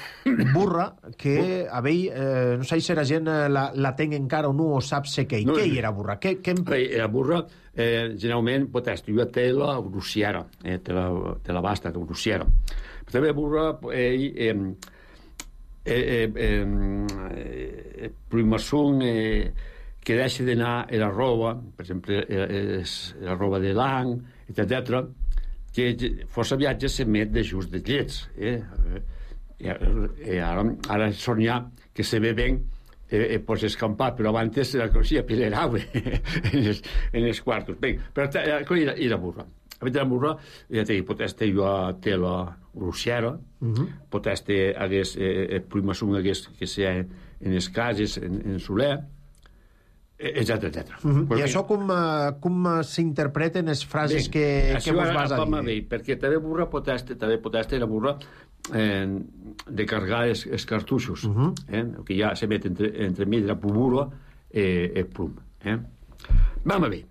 burra que a vell, uh, no sé si la gent uh, la, la ten encara o no o sap sé què. No, què hi era burra? Què, què em... Era burra, eh, generalment, pot estar té la grussiera, eh, té la, té la basta, la grussiera. Però també burra, eh, eh, eh, eh, eh, primassung, eh, que deixa d'anar a la roba, per exemple, eh, la roba de l'any, etcètera, que força viatges s'emet de just de llets. Eh? I ara, ara sonia que se ve ben eh, eh, pots escampar, però abans la coneixia pilerava en, els, en els quartos. Ben, però i la, i la burra. A veure, la burra, ja t'he dit, pot estar jo a tela russiera, uh -huh. pot estar hagués, eh, primassung hagués que sea en les cases, en, en soler, etcètera, etcètera. Uh -huh. I això com, uh, com s'interpreten les frases bé, que, que vos vas a dir? Bé, perquè també burra pot estar, també pot estar la burra eh, de carregar els, els cartuixos, uh -huh. eh, que ja se met entre, entre mig la pubura i el plum. Eh. Vam a bé.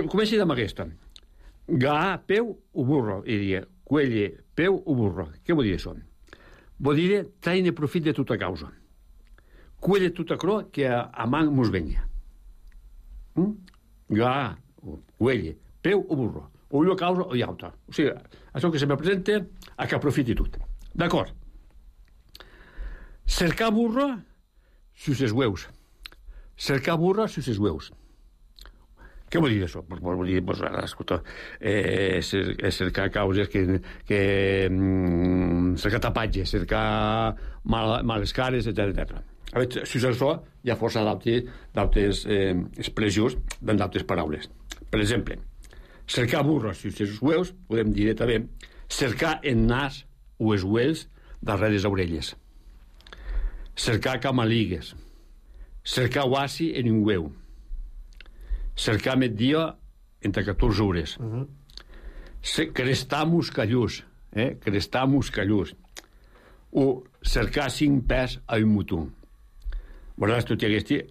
Comenci amb aquesta. Ga, peu o burro, i diria, cuelle, peu o burro. Què vol dir això? Vol dir traine profit de tota causa. Cuelle tota cro que a, a man mos venia. Mm? Ga, cuelle, peu o burro. O una causa o l'altra. O sigui, això que se me presenta a que aprofiti tot. D'acord. Cercar burro sus els hueus. Cercar burro sus els hueus. Què vol dir això? Vol dir, pues, escolta, eh, cercar causes que... que mm, cercar tapatges, cercar mal, males cares, etcètera. A veure, si això hi ha força d'altres eh, expressions d'altres paraules. Per exemple, cercar burros si els hueus, podem dir també cercar en nas o els huels darrere les orelles. Cercar camaligues. Cercar oasi en un hueu. Cercar migdia entre catorze hores. Uh -huh. Crestar muscallús. Eh? Crestar muscallús. O cercar cinc pes a un mutú. Guardas, tu t'haguesti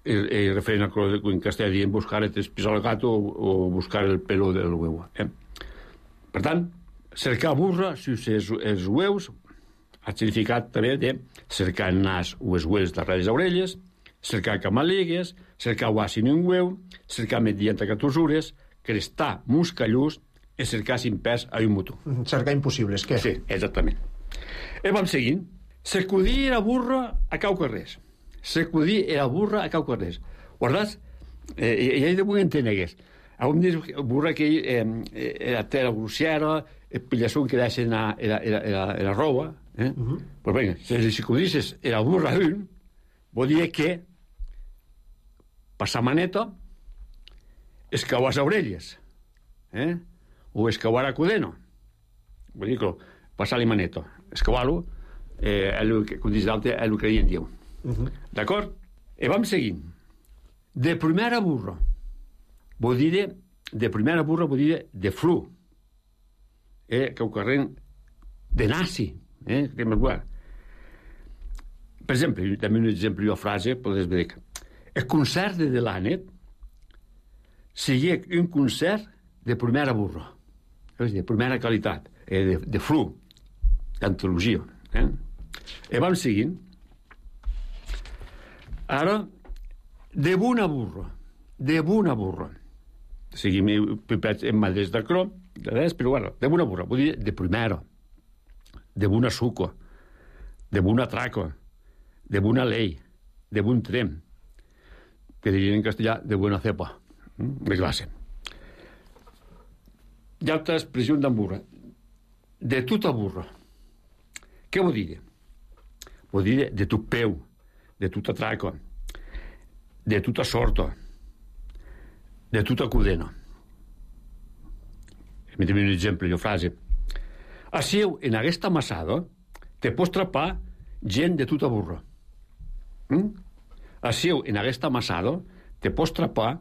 eh, referent a que en castellà dient buscar el pisar el gato o, o buscar el pelo del huevo. Eh? Per tant, cercar burra si els, els hueus ha significat també de cercar el nas o els huels darrere les orelles, cercar camaligues, cercar oasi en un hueu, cercar mediante catorze hores, crestar muscallús i cercar cinc pes a un mutú. Cercar impossibles, què? Sí, exactament. I vam seguint. Sacudir la burra a cau carrers. Sacudir la burra a cau carrers. Guardats? Eh, I ell de vull entenegues. Algun dia burra que eh, era tela grussiera, el pillassón que deixen a la, la, la, la roba, eh? Uh -huh. Pues venga, si li sacudisses la burra d'un, vol dir que passar maneta, escauar les orelles, eh? O escauar a cudeno. Vol dir que passar-li maneta, escauar-lo, eh, el que, com dius d'altre, és el que en diu. Uh -huh. D'acord? I vam seguint. De primera burra. Vol dir, de primera burra vol dir de flu. Eh, que ho carreguen de nazi. Eh, que per exemple, també un exemple, una frase, podés dir que el concert de Delanet seria un concert de primera burra. De primera qualitat. Eh, de, de flu. D'antologia. Eh? I vam seguint. Ara, de bona burra. De bona burra. Seguim pipets en madres de crom, de res, però bueno, de bona burra. Vull dir, de primera. de buna suco, de buna traco, de buna ley, de bun trem, que dirien en castellà de buena cepa, de classe. Hi ha altra expressió d'en burra. De tota burra. Què vol dir? Vol dir de tot peu, de tota traco, de tota sorta, de tota cudena. Metem un exemple, jo frase. Assieu en aquesta amassada te pots trapar gent de tota burra. Mm? Assieu en aquesta amassada te pots trapar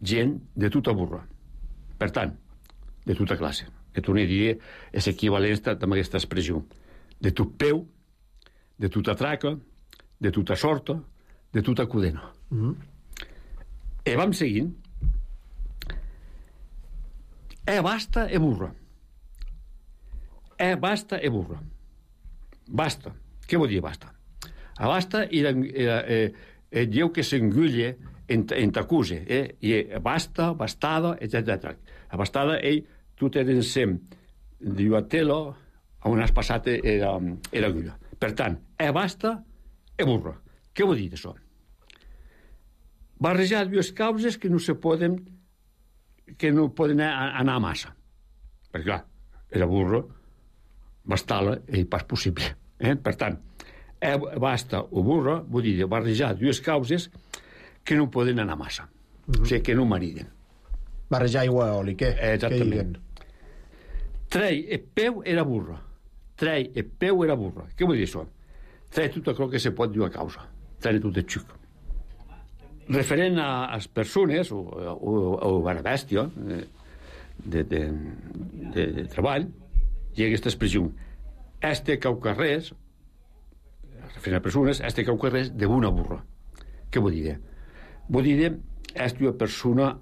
gent de tota burra. Per tant, de tota classe. Que torno a dir, és equivalent amb aquesta expressió. De tot peu, de tota traca, de tota sorta, de tota cudena. Mm. E vam seguint. E basta e burra. E basta e burra. Basta. Què vol dir basta? A basta era, era, eh, eh, diu que s'engulle en, en t'acuse. Eh? I basta, bastada, etcètera. A bastada, ell, tu tens sem, diu a telo, on has passat era, era agulla. Per tant, e basta e burra. Què vol dir això? Barrejar dues causes que no se poden que no poden anar a massa. Perquè, clar, era burro, bastala i pas possible. Eh? Per tant, eh, basta o burro vol dir barrejar dues causes que no poden anar a massa. Mm-hmm. O sigui, que no mariden. Barrejar aigua i oli, què? Exactament. Trei e peu era burro. Trei e peu era burro. Què vol dir això? Trei tot allò que se pot dir a causa. Trei tot el xuc. Referent a les persones o, o, o a la bèstia de, de, de, de treball, hi ha aquesta expressió. Este caucarrés, referent a persones, este caucarrés de una burra. Què vol dir? Vol dir este una persona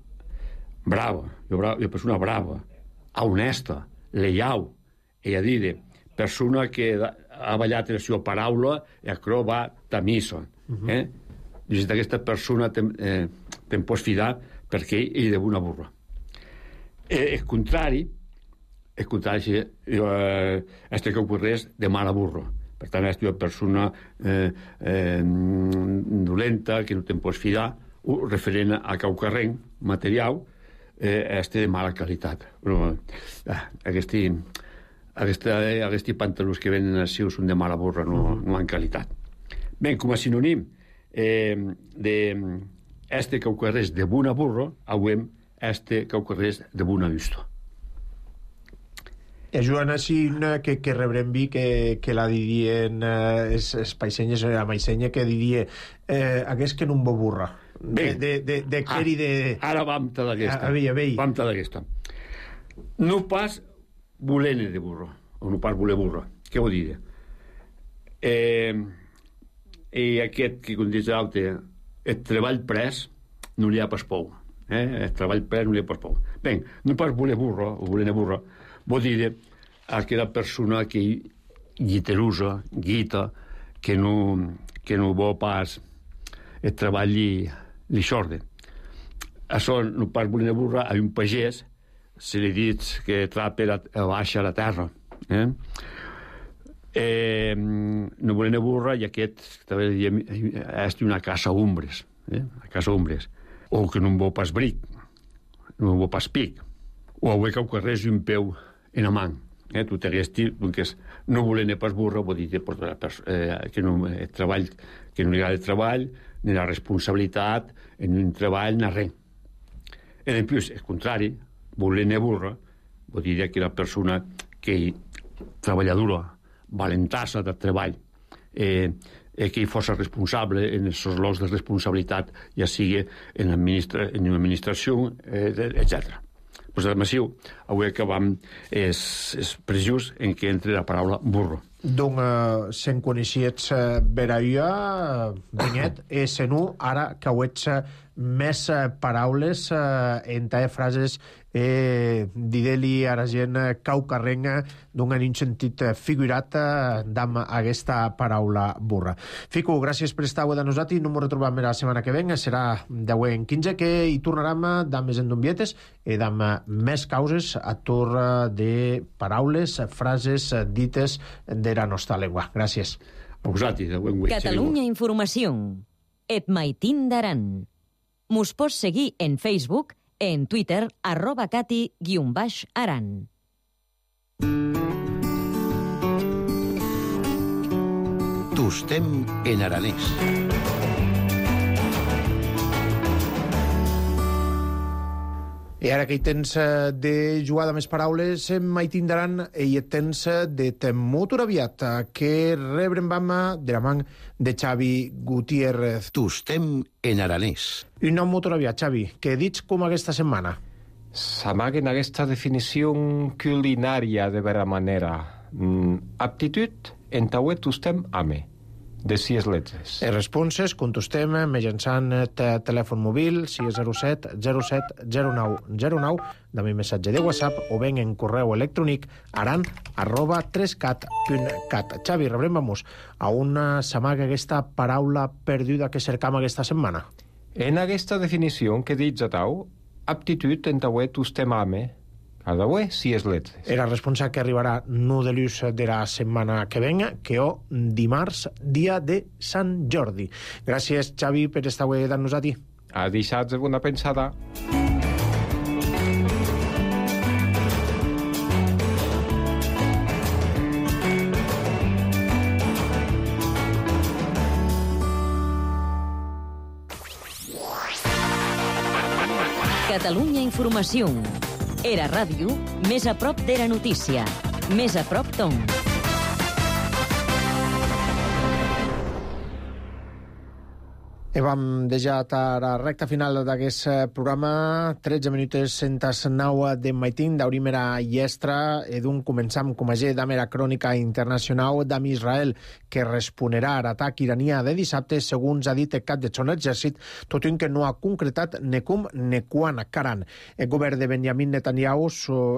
brava, una persona brava, honesta, lleial, e a dir, persona que ha ballat la seva paraula i això va tamissa. Uh-huh. Eh? I d'aquesta persona te'n eh, te pots fidar perquè ell és una burra. Eh, el contrari, el contrari és eh, este que ocorreix de mala burra. Per tant, és una persona eh, eh, dolenta, que no te'n pots fidar, o referent a caucarrenc material, eh, este de mala qualitat. Però, eh, aquesti, aquesta, aquesti pantalons que venen així són de mala burra, no, no en qualitat. Bé, com a sinònim Eh, de este que ocorreix de bona burra, auem este que ocorreix de bona vista. És una així que, que rebrem vi que, que la dirien eh, es, es païsenyes, la maïsenya que diria eh, hagués que no em burra. Bé, de, de, de, ah, de, de... ara vam te d'aquesta. A, a veia, vam te d'aquesta. No pas volent de burra, o no pas voler burra. Què vol dir? Eh... i aquest que com dius l'altre, el treball pres no li ha pas pou, eh? El treball pres no li ha pas pou. Ben, no pas voler burra o voler burra vol dir aquella persona que guiterusa, guita, que no, que no vol pas el treball li, li xorde. Això no pas voler burra a un pagès se li dit que trapa la, baixa la terra, eh? Eh, no volen burra i aquest també diem, és una casa ombres, eh? Una casa ombres, o que no en vol pas bric, no en vol pas pic, o avui que ocorreix un peu en la mà, eh? Tu t'hagués dit que no volen pas burra vol dir eh, que no el treball, que no hi ha el treball ni la responsabilitat en un treball ni res. I en plus, el contrari, volen burra vol dir que la persona que treballadora valentassa del treball eh, eh, que hi fos responsable en els locs de responsabilitat, ja sigui en, administra en una administració, eh, etcètera. Pues, a Massiu, avui acabam és, és preciós en què entre la paraula burro. Donc, uh, se'n coneixiets uh, Beraia, Benyet, e se no, ara que ho ets més eh, paraules eh, entre frases eh, dideli a la gent caucarrenga d'un en un sentit figurat eh, d'am aquesta paraula burra. Fico, gràcies per estar avui de nosaltres i no m'ho retrobam la setmana que venga, serà deu en quinze que hi tornarem d'am més endombietes i d'am més causes a tur de paraules, frases dites de la nostra llengua. Gràcies. A vosaltres, a buen Catalunya Informació. Et maitín d'aran. Mos pots seguir en Facebook, en Twitter, arroba cati guion baix aran. Tostem en aranès. I ara que hi tens de jugar de més paraules, mai tindran i hi tens de temut aviat, que rebrem vam de la man de Xavi Gutiérrez. Tostem en aranès. Un nom molt aviat, Xavi, que dits com aquesta setmana? S'amaga en aquesta definició culinària de vera manera. Mm, aptitud en tauet tostem ame. De sis letres. Les responses contestem mitjançant telèfon mòbil sis zero set zero set zero nou zero nou, de mi missatge de WhatsApp o ben en correu electrònic aran arroba tres cat punt cat. Xavi, rebrem vamos a una s'amaga aquesta paraula perduda que cercam aquesta setmana. En aquesta definició que dits a tau, aptitud en tauet tostem ame. Cada ué, si és letres. Era responsable que arribarà no de l'ús de la setmana que venga, que o dimarts, dia de Sant Jordi. Gràcies, Xavi, per estar avui amb nosaltres. A deixats de bona pensada. Catalunya Informació. Era ràdio, més a prop de la notícia. Més a prop Tom. I vam deixat a la recta final d'aquest programa, tretze minuts centes nou de maitín, d'obrim era llestra, i d'un començam com a ge d'am era crònica internacional d'am Israel, que responderà a l'atac iranià de dissabte, segons ha dit el cap de son exèrcit, tot i que no ha concretat ne com ne quan caran. El govern de Benjamin Netanyahu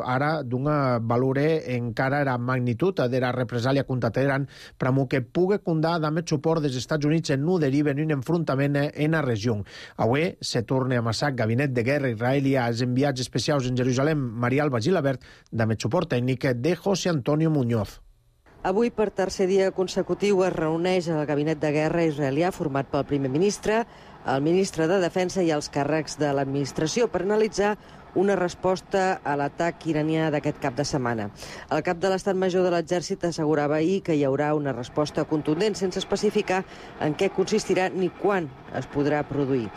ara d'una valore encara la magnitud de la represàlia contra Teheran, però que pugui condar d'am el suport dels Estats Units en no deriva en un enfrontament en la regió. Avui se torna a amassar gabinet de guerra israelí als enviats especials en Jerusalem, Maria Alba Gilabert, amb el suport tècnic de José Antonio Muñoz. Avui, per tercer dia consecutiu, es reuneix el gabinet de guerra israelià format pel primer ministre, el ministre de Defensa i els càrrecs de l'administració per analitzar una resposta a l'atac iranià d'aquest cap de setmana. El cap de l'Estat Major de l'Exèrcit assegurava ahir que hi haurà una resposta contundent sense especificar en què consistirà ni quan es podrà produir.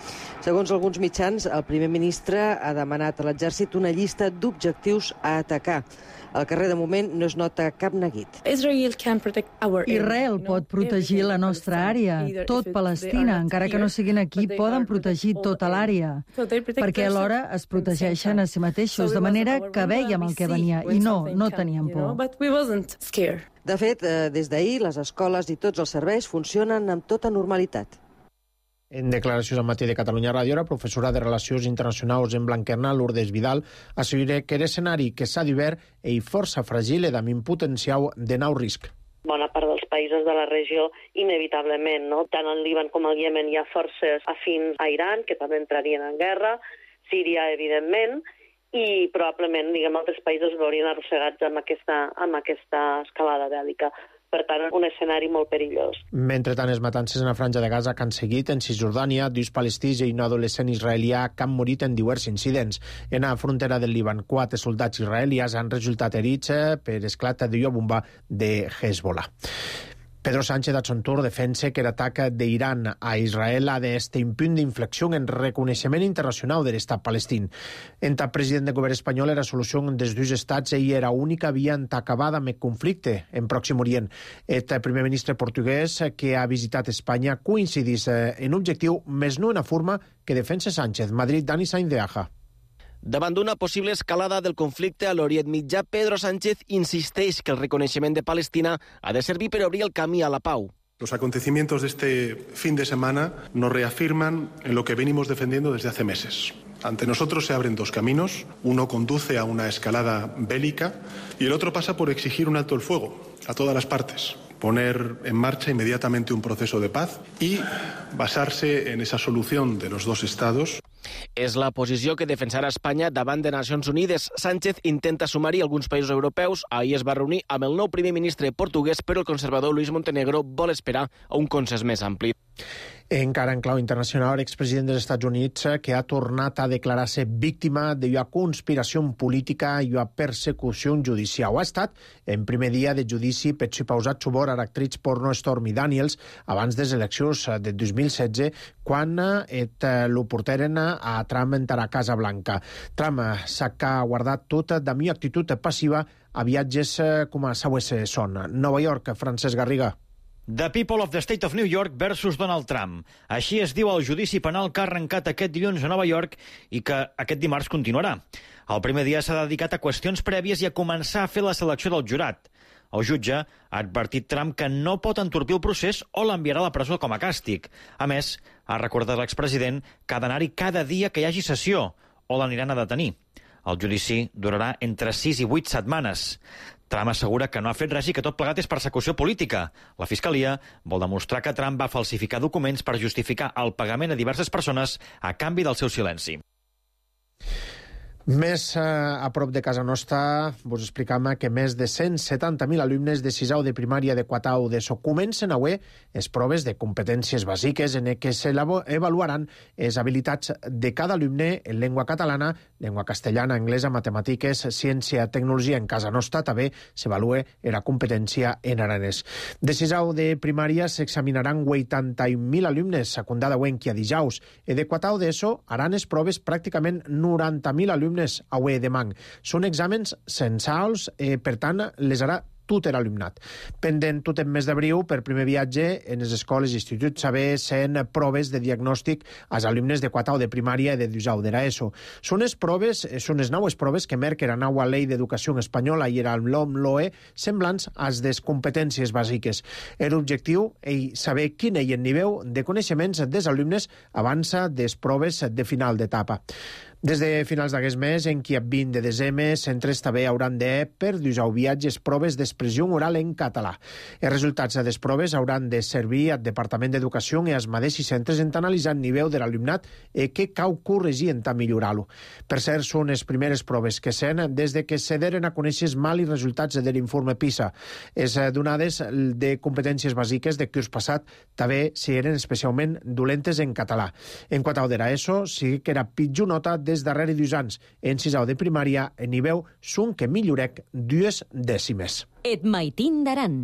Segons alguns mitjans, el primer ministre ha demanat a l'Exèrcit una llista d'objectius a atacar. Al carrer, de moment, no es nota cap neguit. Israel pot protegir la nostra àrea. Tot Palestina, encara que no siguin aquí, poden protegir tota l'àrea. Perquè alhora es protegeixen a si mateixos, de manera que vèiem el que venia. I no, no teníem por. De fet, des d'ahir, les escoles i tots els serveis funcionen amb tota normalitat. En declaracions al matí de Catalunya Ràdio, la professora de Relacions Internacionals en Blanquerna, Lourdes Vidal, assegura que l'escenari que s'ha d'hivern és força fràgil i amb un potencial de nou risc. Bona part dels països de la regió, inevitablement, no? Tant al Líban com al Iemen hi ha forces afins a Iran, que també entrarien en guerra, Síria, evidentment, i probablement, diguem, altres països veurien arrossegats amb aquesta, amb aquesta escalada bèl·lica. Per tant, un escenari molt perillós. Mentre tant, les matances en la franja de Gaza que han seguit en Cisjordània, dos palestins i un adolescent israelià que han morit en diversos incidents. En la frontera del Líban, quatre soldats israelians han resultat herits per esclat de bomba de Hezbollah. Pedro Sánchez, a son tour, defensa que l'atac d'Iran a Israel ha d'estar un punt d'inflexió en reconeixement internacional de l'estat palestín. En tant president del govern espanyol, la solució dels dos estats era l'única via en acabar amb el conflicte en Pròxim Orient. El primer ministre portuguès que ha visitat Espanya coincidís en objectiu, més no en la forma que defensa Sánchez. Madrid, Dani Sainz de Aja. Davant d'una possible escalada del conflicte a l'Orient Mitjà, Pedro Sánchez insisteix que el reconeixement de Palestina ha de servir per obrir el camí a la pau. Los acontecimientos de este fin de semana nos reafirman en lo que venimos defendiendo desde hace meses. Ante nosotros se abren dos caminos. Uno conduce a una escalada bélica y el otro pasa por exigir un alto el fuego a todas las partes, poner en marcha inmediatamente un proceso de paz y basarse en esa solución de los dos estados. És la posició que defensarà Espanya davant de Nacions Unides. Sánchez intenta sumar-hi alguns països europeus. Ahir es va reunir amb el nou primer ministre portuguès, però el conservador Luis Montenegro vol esperar a un consens més ampli. Encara en clau internacional, l'expresident dels Estats Units, que ha tornat a declarar-se víctima d'una conspiració política i una persecució judicial. Ha estat en primer dia de judici per si pausat subor a l'actriz porno Stormy Daniels abans de les eleccions de dos mil setze, quan et lo porteren a Trump entrar a Casa Blanca. Trump s'ha guardat tot de mi actitud passiva a viatges com a saues son. Nova York, Francesc Garriga. The People of the State of New York versus Donald Trump. Així es diu el judici penal que ha arrencat aquest dilluns a Nova York i que aquest dimarts continuarà. El primer dia s'ha dedicat a qüestions prèvies i a començar a fer la selecció del jurat. El jutge ha advertit Trump que no pot entorpir el procés o l'enviarà a la presó com a càstig. A més, ha recordat l'expresident que ha d'anar-hi cada dia que hi hagi sessió o l'aniran a detenir. El judici durarà entre sis i vuit setmanes. Trump assegura que no ha fet res i que tot plegat és persecució política. La Fiscalia vol demostrar que Trump va falsificar documents per justificar el pagament a diverses persones a canvi del seu silenci. Més eh, a prop de casa nostra, vos explicam que més de cent setanta mil alumnes de sisau de primària de Quatau d'ESO comencen avui les proves de competències bàsiques en què s'avaluaran les habilitats de cada alumne en llengua catalana, llengua castellana, anglesa, matemàtiques, ciència, tecnologia. En casa nostra també s'avalua la competència en aranès. De sisau de primària s'examinaran vuitanta-un mil alumnes, secundada avui a dijous. I de Quatau d'ESO haran les proves pràcticament noranta mil alumnes avui demà. Són exàmens censals, eh, per tant, les harà tot l'alumnat. Pendent tot en mes d'abril, per primer viatge en les escoles i instituts saber sent proves de diagnòstic als alumnes de Quatau de primària i de dijous de l'ESO. Són les proves, són les noves proves que merca la nova llei d'educació espanyola i el LOMLOE semblants als des competències bàsiques. L'objectiu és saber quin és el nivell de coneixements dels alumnes abans des proves de final d'etapa. Des de finals d'aquest mes, en qui a vint de desembre, centres també hauran de, per dijous viatges, proves d'expressió oral en català. Els resultats de les proves hauran de servir al Departament d'Educació i als mateixos centres en analitzar el nivell de l'alumnat i què cal corregir en tant millorar-lo. Per cert, són les primeres proves que sent des de que se deren a conèixer els mals resultats de l'informe PISA. Les donades de competències bàsiques de curs passat també eren especialment dolentes en català. En Quatau de l'ESO sí que era pitjor nota de des darrere dos anys. En sisau de primària, en nivell són que millorec dues dècimes. Et maitin d'Aran.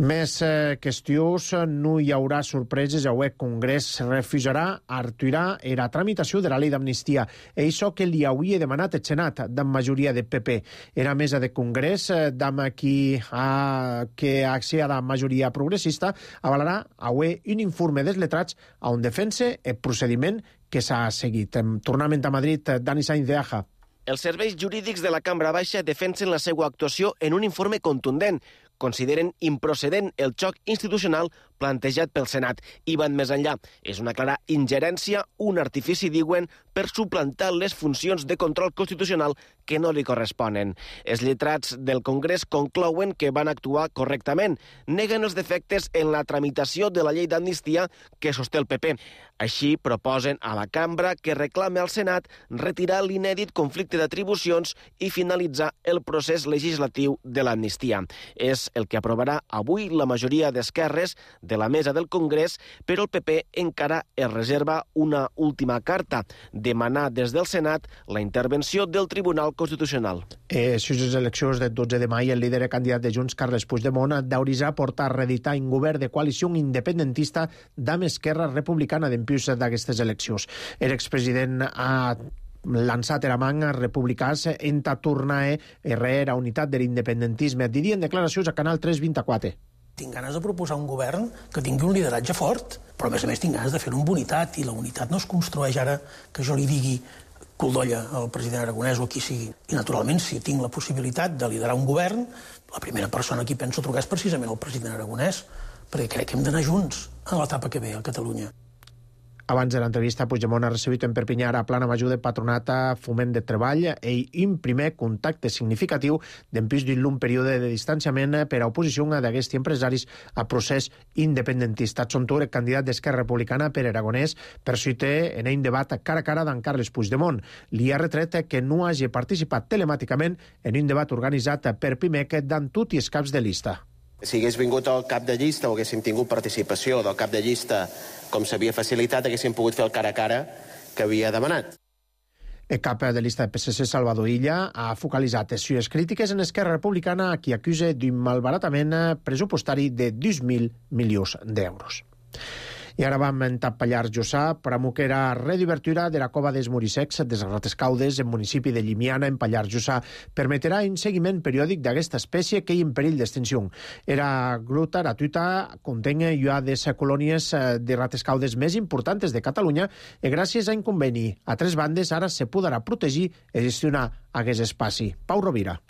Més eh, qüestions, no hi haurà sorpreses. El Congrés refusarà aturar la tramitació de la llei d'amnistia. Això que li hauria demanat el Senat, de majoria de P P. Era mesa de Congrés, d'ama qui ha, que accede a la majoria progressista, avalarà avui un informe dels letrats on defensa el procediment que s'ha seguit. Tornament a Madrid, Dani Sainz de Aja. Els serveis jurídics de la Cambra Baixa defensen la seva actuació en un informe contundent. Consideren improcedent el xoc institucional plantejat pel Senat i van més enllà. És una clara ingerència, un artifici, diuen, per suplantar les funcions de control constitucional que no li corresponen. Els lletrats del Congrés conclouen que van actuar correctament. Neguen els defectes en la tramitació de la llei d'amnistia que sosté el P P. Així proposen a la Cambra que reclame al Senat retirar l'inèdit conflicte d'atribucions i finalitzar el procés legislatiu de l'amnistia. És el que aprovarà avui la majoria d'esquerres de la mesa del Congrés, però el P P encara es reserva una última carta, demanar des del Senat la intervenció del Tribunal Constitucional. Eh, si les eleccions del dotze de maig, el líder candidat de Junts, Carles Puigdemont, d'aurisar portar a reeditar un govern de coalició independentista d'Am Esquerra Republicana d'impuls d'aquestes eleccions. L'expresident ha lançat era manga republicans en tornar a reer a unitat de l'independentisme. Diria en declaracions a Canal tres vint-i-quatre. Tinc ganes de proposar un govern que tingui un lideratge fort, però a més a més tinc ganes de fer-ho amb unitat, i la unitat no es construeix ara que jo li digui coldolla al president Aragonès o a qui sigui. I naturalment, si tinc la possibilitat de liderar un govern, la primera persona a qui penso trucar és precisament el president Aragonès, perquè crec que hem d'anar junts a l'etapa que ve a Catalunya. Abans de l'entrevista, Puigdemont ha recibit en Perpinyà a Plana Major de Patronat a Foment de Treball i un primer contacte significatiu d'empís d'un long període de distanciament per a oposició d'aquests empresaris a procés independentista. Tsontur, candidat d'Esquerra Republicana per Aragonès, persuite en un debat cara a cara d'en Carles Puigdemont. Li ha retret que no hagi participat telemàticament en un debat organitzat per Pimec d'en tots els caps de llista. Si hagués vingut el cap de llista o haguéssim tingut participació del cap de llista com s'havia facilitat, haguéssim pogut fer el cara a cara que havia demanat. El cap de llista de P S C, Salvador Illa, ha focalitzat les sues crítiques en Esquerra Republicana, a qui acusa d'un malbaratament pressupostari de dos mil milions d'euros. I ara vam en Pallars Jussà, promoquera reobertura de la cova dels Muricecs des Ratescaudes, en municipi de Llimiana, en Pallars Jussà, permetrà un seguiment periòdic d'aquesta espècie que hi en perill d'extinció. Era gruta gratuïta, contén ja des colònies de Ratescaudes més importants de Catalunya i gràcies a un conveni a tres bandes ara se podrà protegir i gestionar aquest espai. Pau Rovira.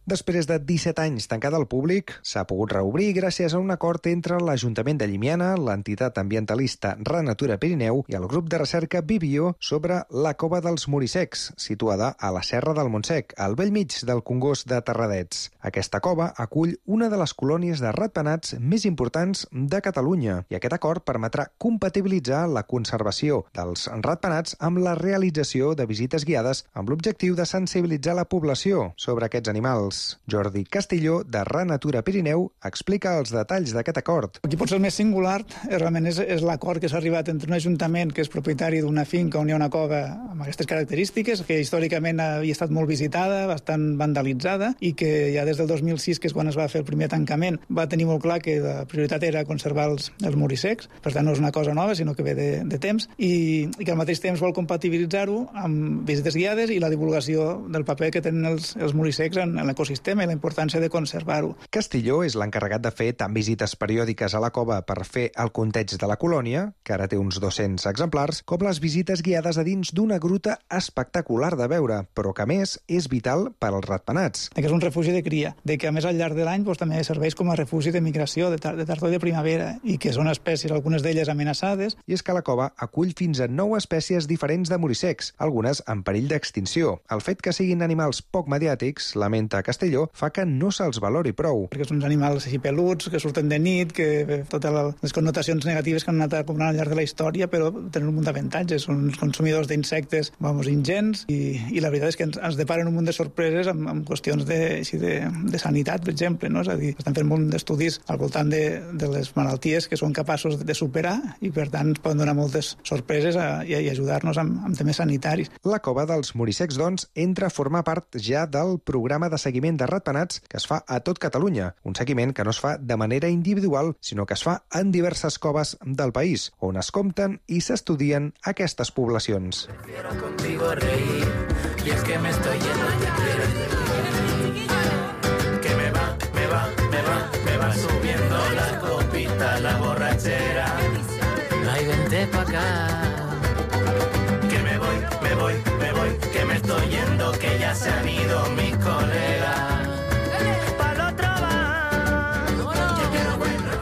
Després de disset anys tancada al públic, s'ha pogut reobrir gràcies a un acord entre l'Ajuntament de Llimiana, l'entitat ambientalista Renatura Pirineu i el grup de recerca Vivio sobre la cova dels Muricecs, situada a la Serra del Montsec, al bell mig del Congost de Terradets. Aquesta cova acull una de les colònies de ratpenats més importants de Catalunya i aquest acord permetrà compatibilitzar la conservació dels ratpenats amb la realització de visites guiades amb l'objectiu de sensibilitzar la població sobre aquests animals. Jordi Castilló, de Renatura Pirineu, explica els detalls d'aquest acord. Aquí potser el més singular realment és, és l'acord que s'ha arribat entre un ajuntament que és propietari d'una finca on hi ha una cova amb aquestes característiques, que històricament havia estat molt visitada, bastant vandalitzada, i que ja des del dos mil sis, que és quan es va fer el primer tancament, va tenir molt clar que la prioritat era conservar els, els Muricecs. Per tant, no és una cosa nova, sinó que ve de, de temps, i, i que al mateix temps vol compatibilitzar-ho amb visites guiades i la divulgació del paper que tenen els, els Muricecs en, en l'ecosistema sistema i la importància de conservar-ho. Castilló és l'encarregat de fer tant visites periòdiques a la cova per fer el compteig de la colònia, que ara té uns dos-cents exemplars, com les visites guiades a dins d'una gruta espectacular de veure, però que a més és vital per als ratpenats. Que és un refugi de cria, de que a més al llarg de l'any doncs, també serveix com a refugi de migració de, tar de tardor i de primavera, i que són espècies, algunes d'elles amenaçades. I és que la cova acull fins a nou espècies diferents de muricecs, algunes en perill d'extinció. El fet que siguin animals poc mediàtics, lamenta Castelló, fa que no se'ls valori prou. Perquè són animals així peluts, que surten de nit, que totes les connotacions negatives que han anat acumulant al llarg de la història, però tenen un munt d'avantatges. Són consumidors d'insectes, vamos, ingents, i, i la veritat és que ens, ens deparen un munt de sorpreses amb, amb qüestions de, així de, de sanitat, per exemple, no? És a dir, estan fent un munt d'estudis al voltant de, de les malalties que són capaços de superar i, per tant, ens poden donar moltes sorpreses a, i, i ajudar-nos amb, amb temes sanitaris. La cova dels Muricecs, doncs, entra a formar part ja del programa de seguiment de ratpenats que es fa a tot Catalunya, un seguiment que no es fa de manera individual, sinó que es fa en diverses coves del país, on es compten i s'estudien aquestes poblacions. Contigo reír, y es que me estoy yendo ya que me va, me va, me va, me va subiendo la copita, la borrachera. Ay, vente pa' acá. Que me voy, me voy, me voy, que me estoy yendo, que ya se han ido mis colegas.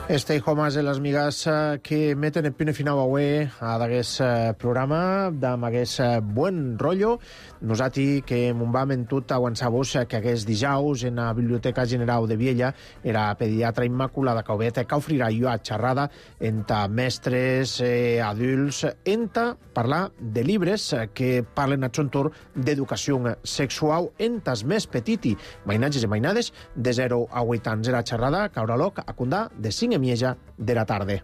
Stay Home de les migues que meten el punt final avui a d'aquest programa, amb aquest bon rotllo. Nosaltres que m'ho vam en tot aguançar-vos que aquest dijous en la Biblioteca General de Viella era pediatra Immaculada Caubet que ofrirà jo a xerrada entre mestres, eh, adults, entre parlar de llibres que parlen a son torn d'educació sexual entre els més petits, mainatges i mainades de zero a vuit anys. Era xerrada que haurà lloc a Condà de cinc i mitja de la tarda.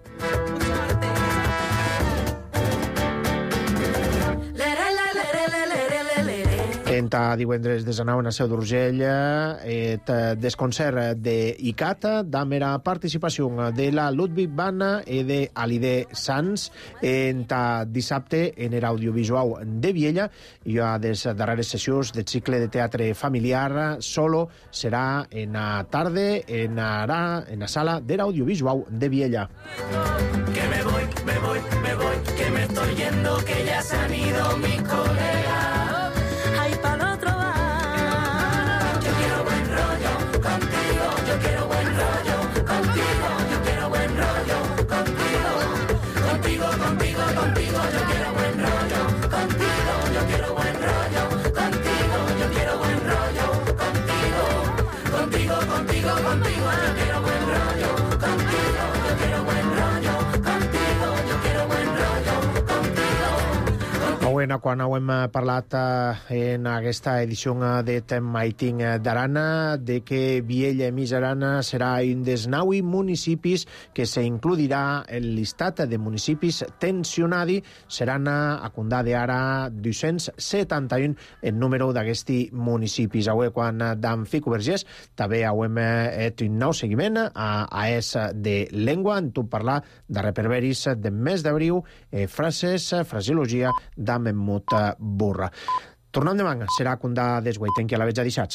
Entre divendres desenau en la Seu d'Urgell eh, des concert d'ICAT, damb era participació de la Ludwig Bana i de Alide Sanz. Entre dissabte en era audiovisual de Viella i a des darreres sessions de cicle de teatre familiar solo serà en la tarda en la, en la sala de l'audiovisual de Viella. Que me voy, me voy, me voy, que me estoy yendo, que ya se han ido mis colegas. Ay, pa'l otro va. Yo quiero buen rollo contigo, yo quiero buen rollo contigo, yo quiero buen rollo. setmana quan hem parlat en aquesta edició de Maiting d'Arana de que Viella i Misarana serà un dels nou municipis que s'includirà en el llistat de municipis tensionadi. Seran a condar d'ara dos-cents setanta-un el número d'aquests municipis. Avui, quan d'en Fico Vergés, també hem fet un nou seguiment a AES de Llengua, en tot parlar de reperberis de mes d'abril, eh, frases, fraseologia de Memmut Burra. Tornem demà, serà condar desguai. Tenqui a la veig a dissats.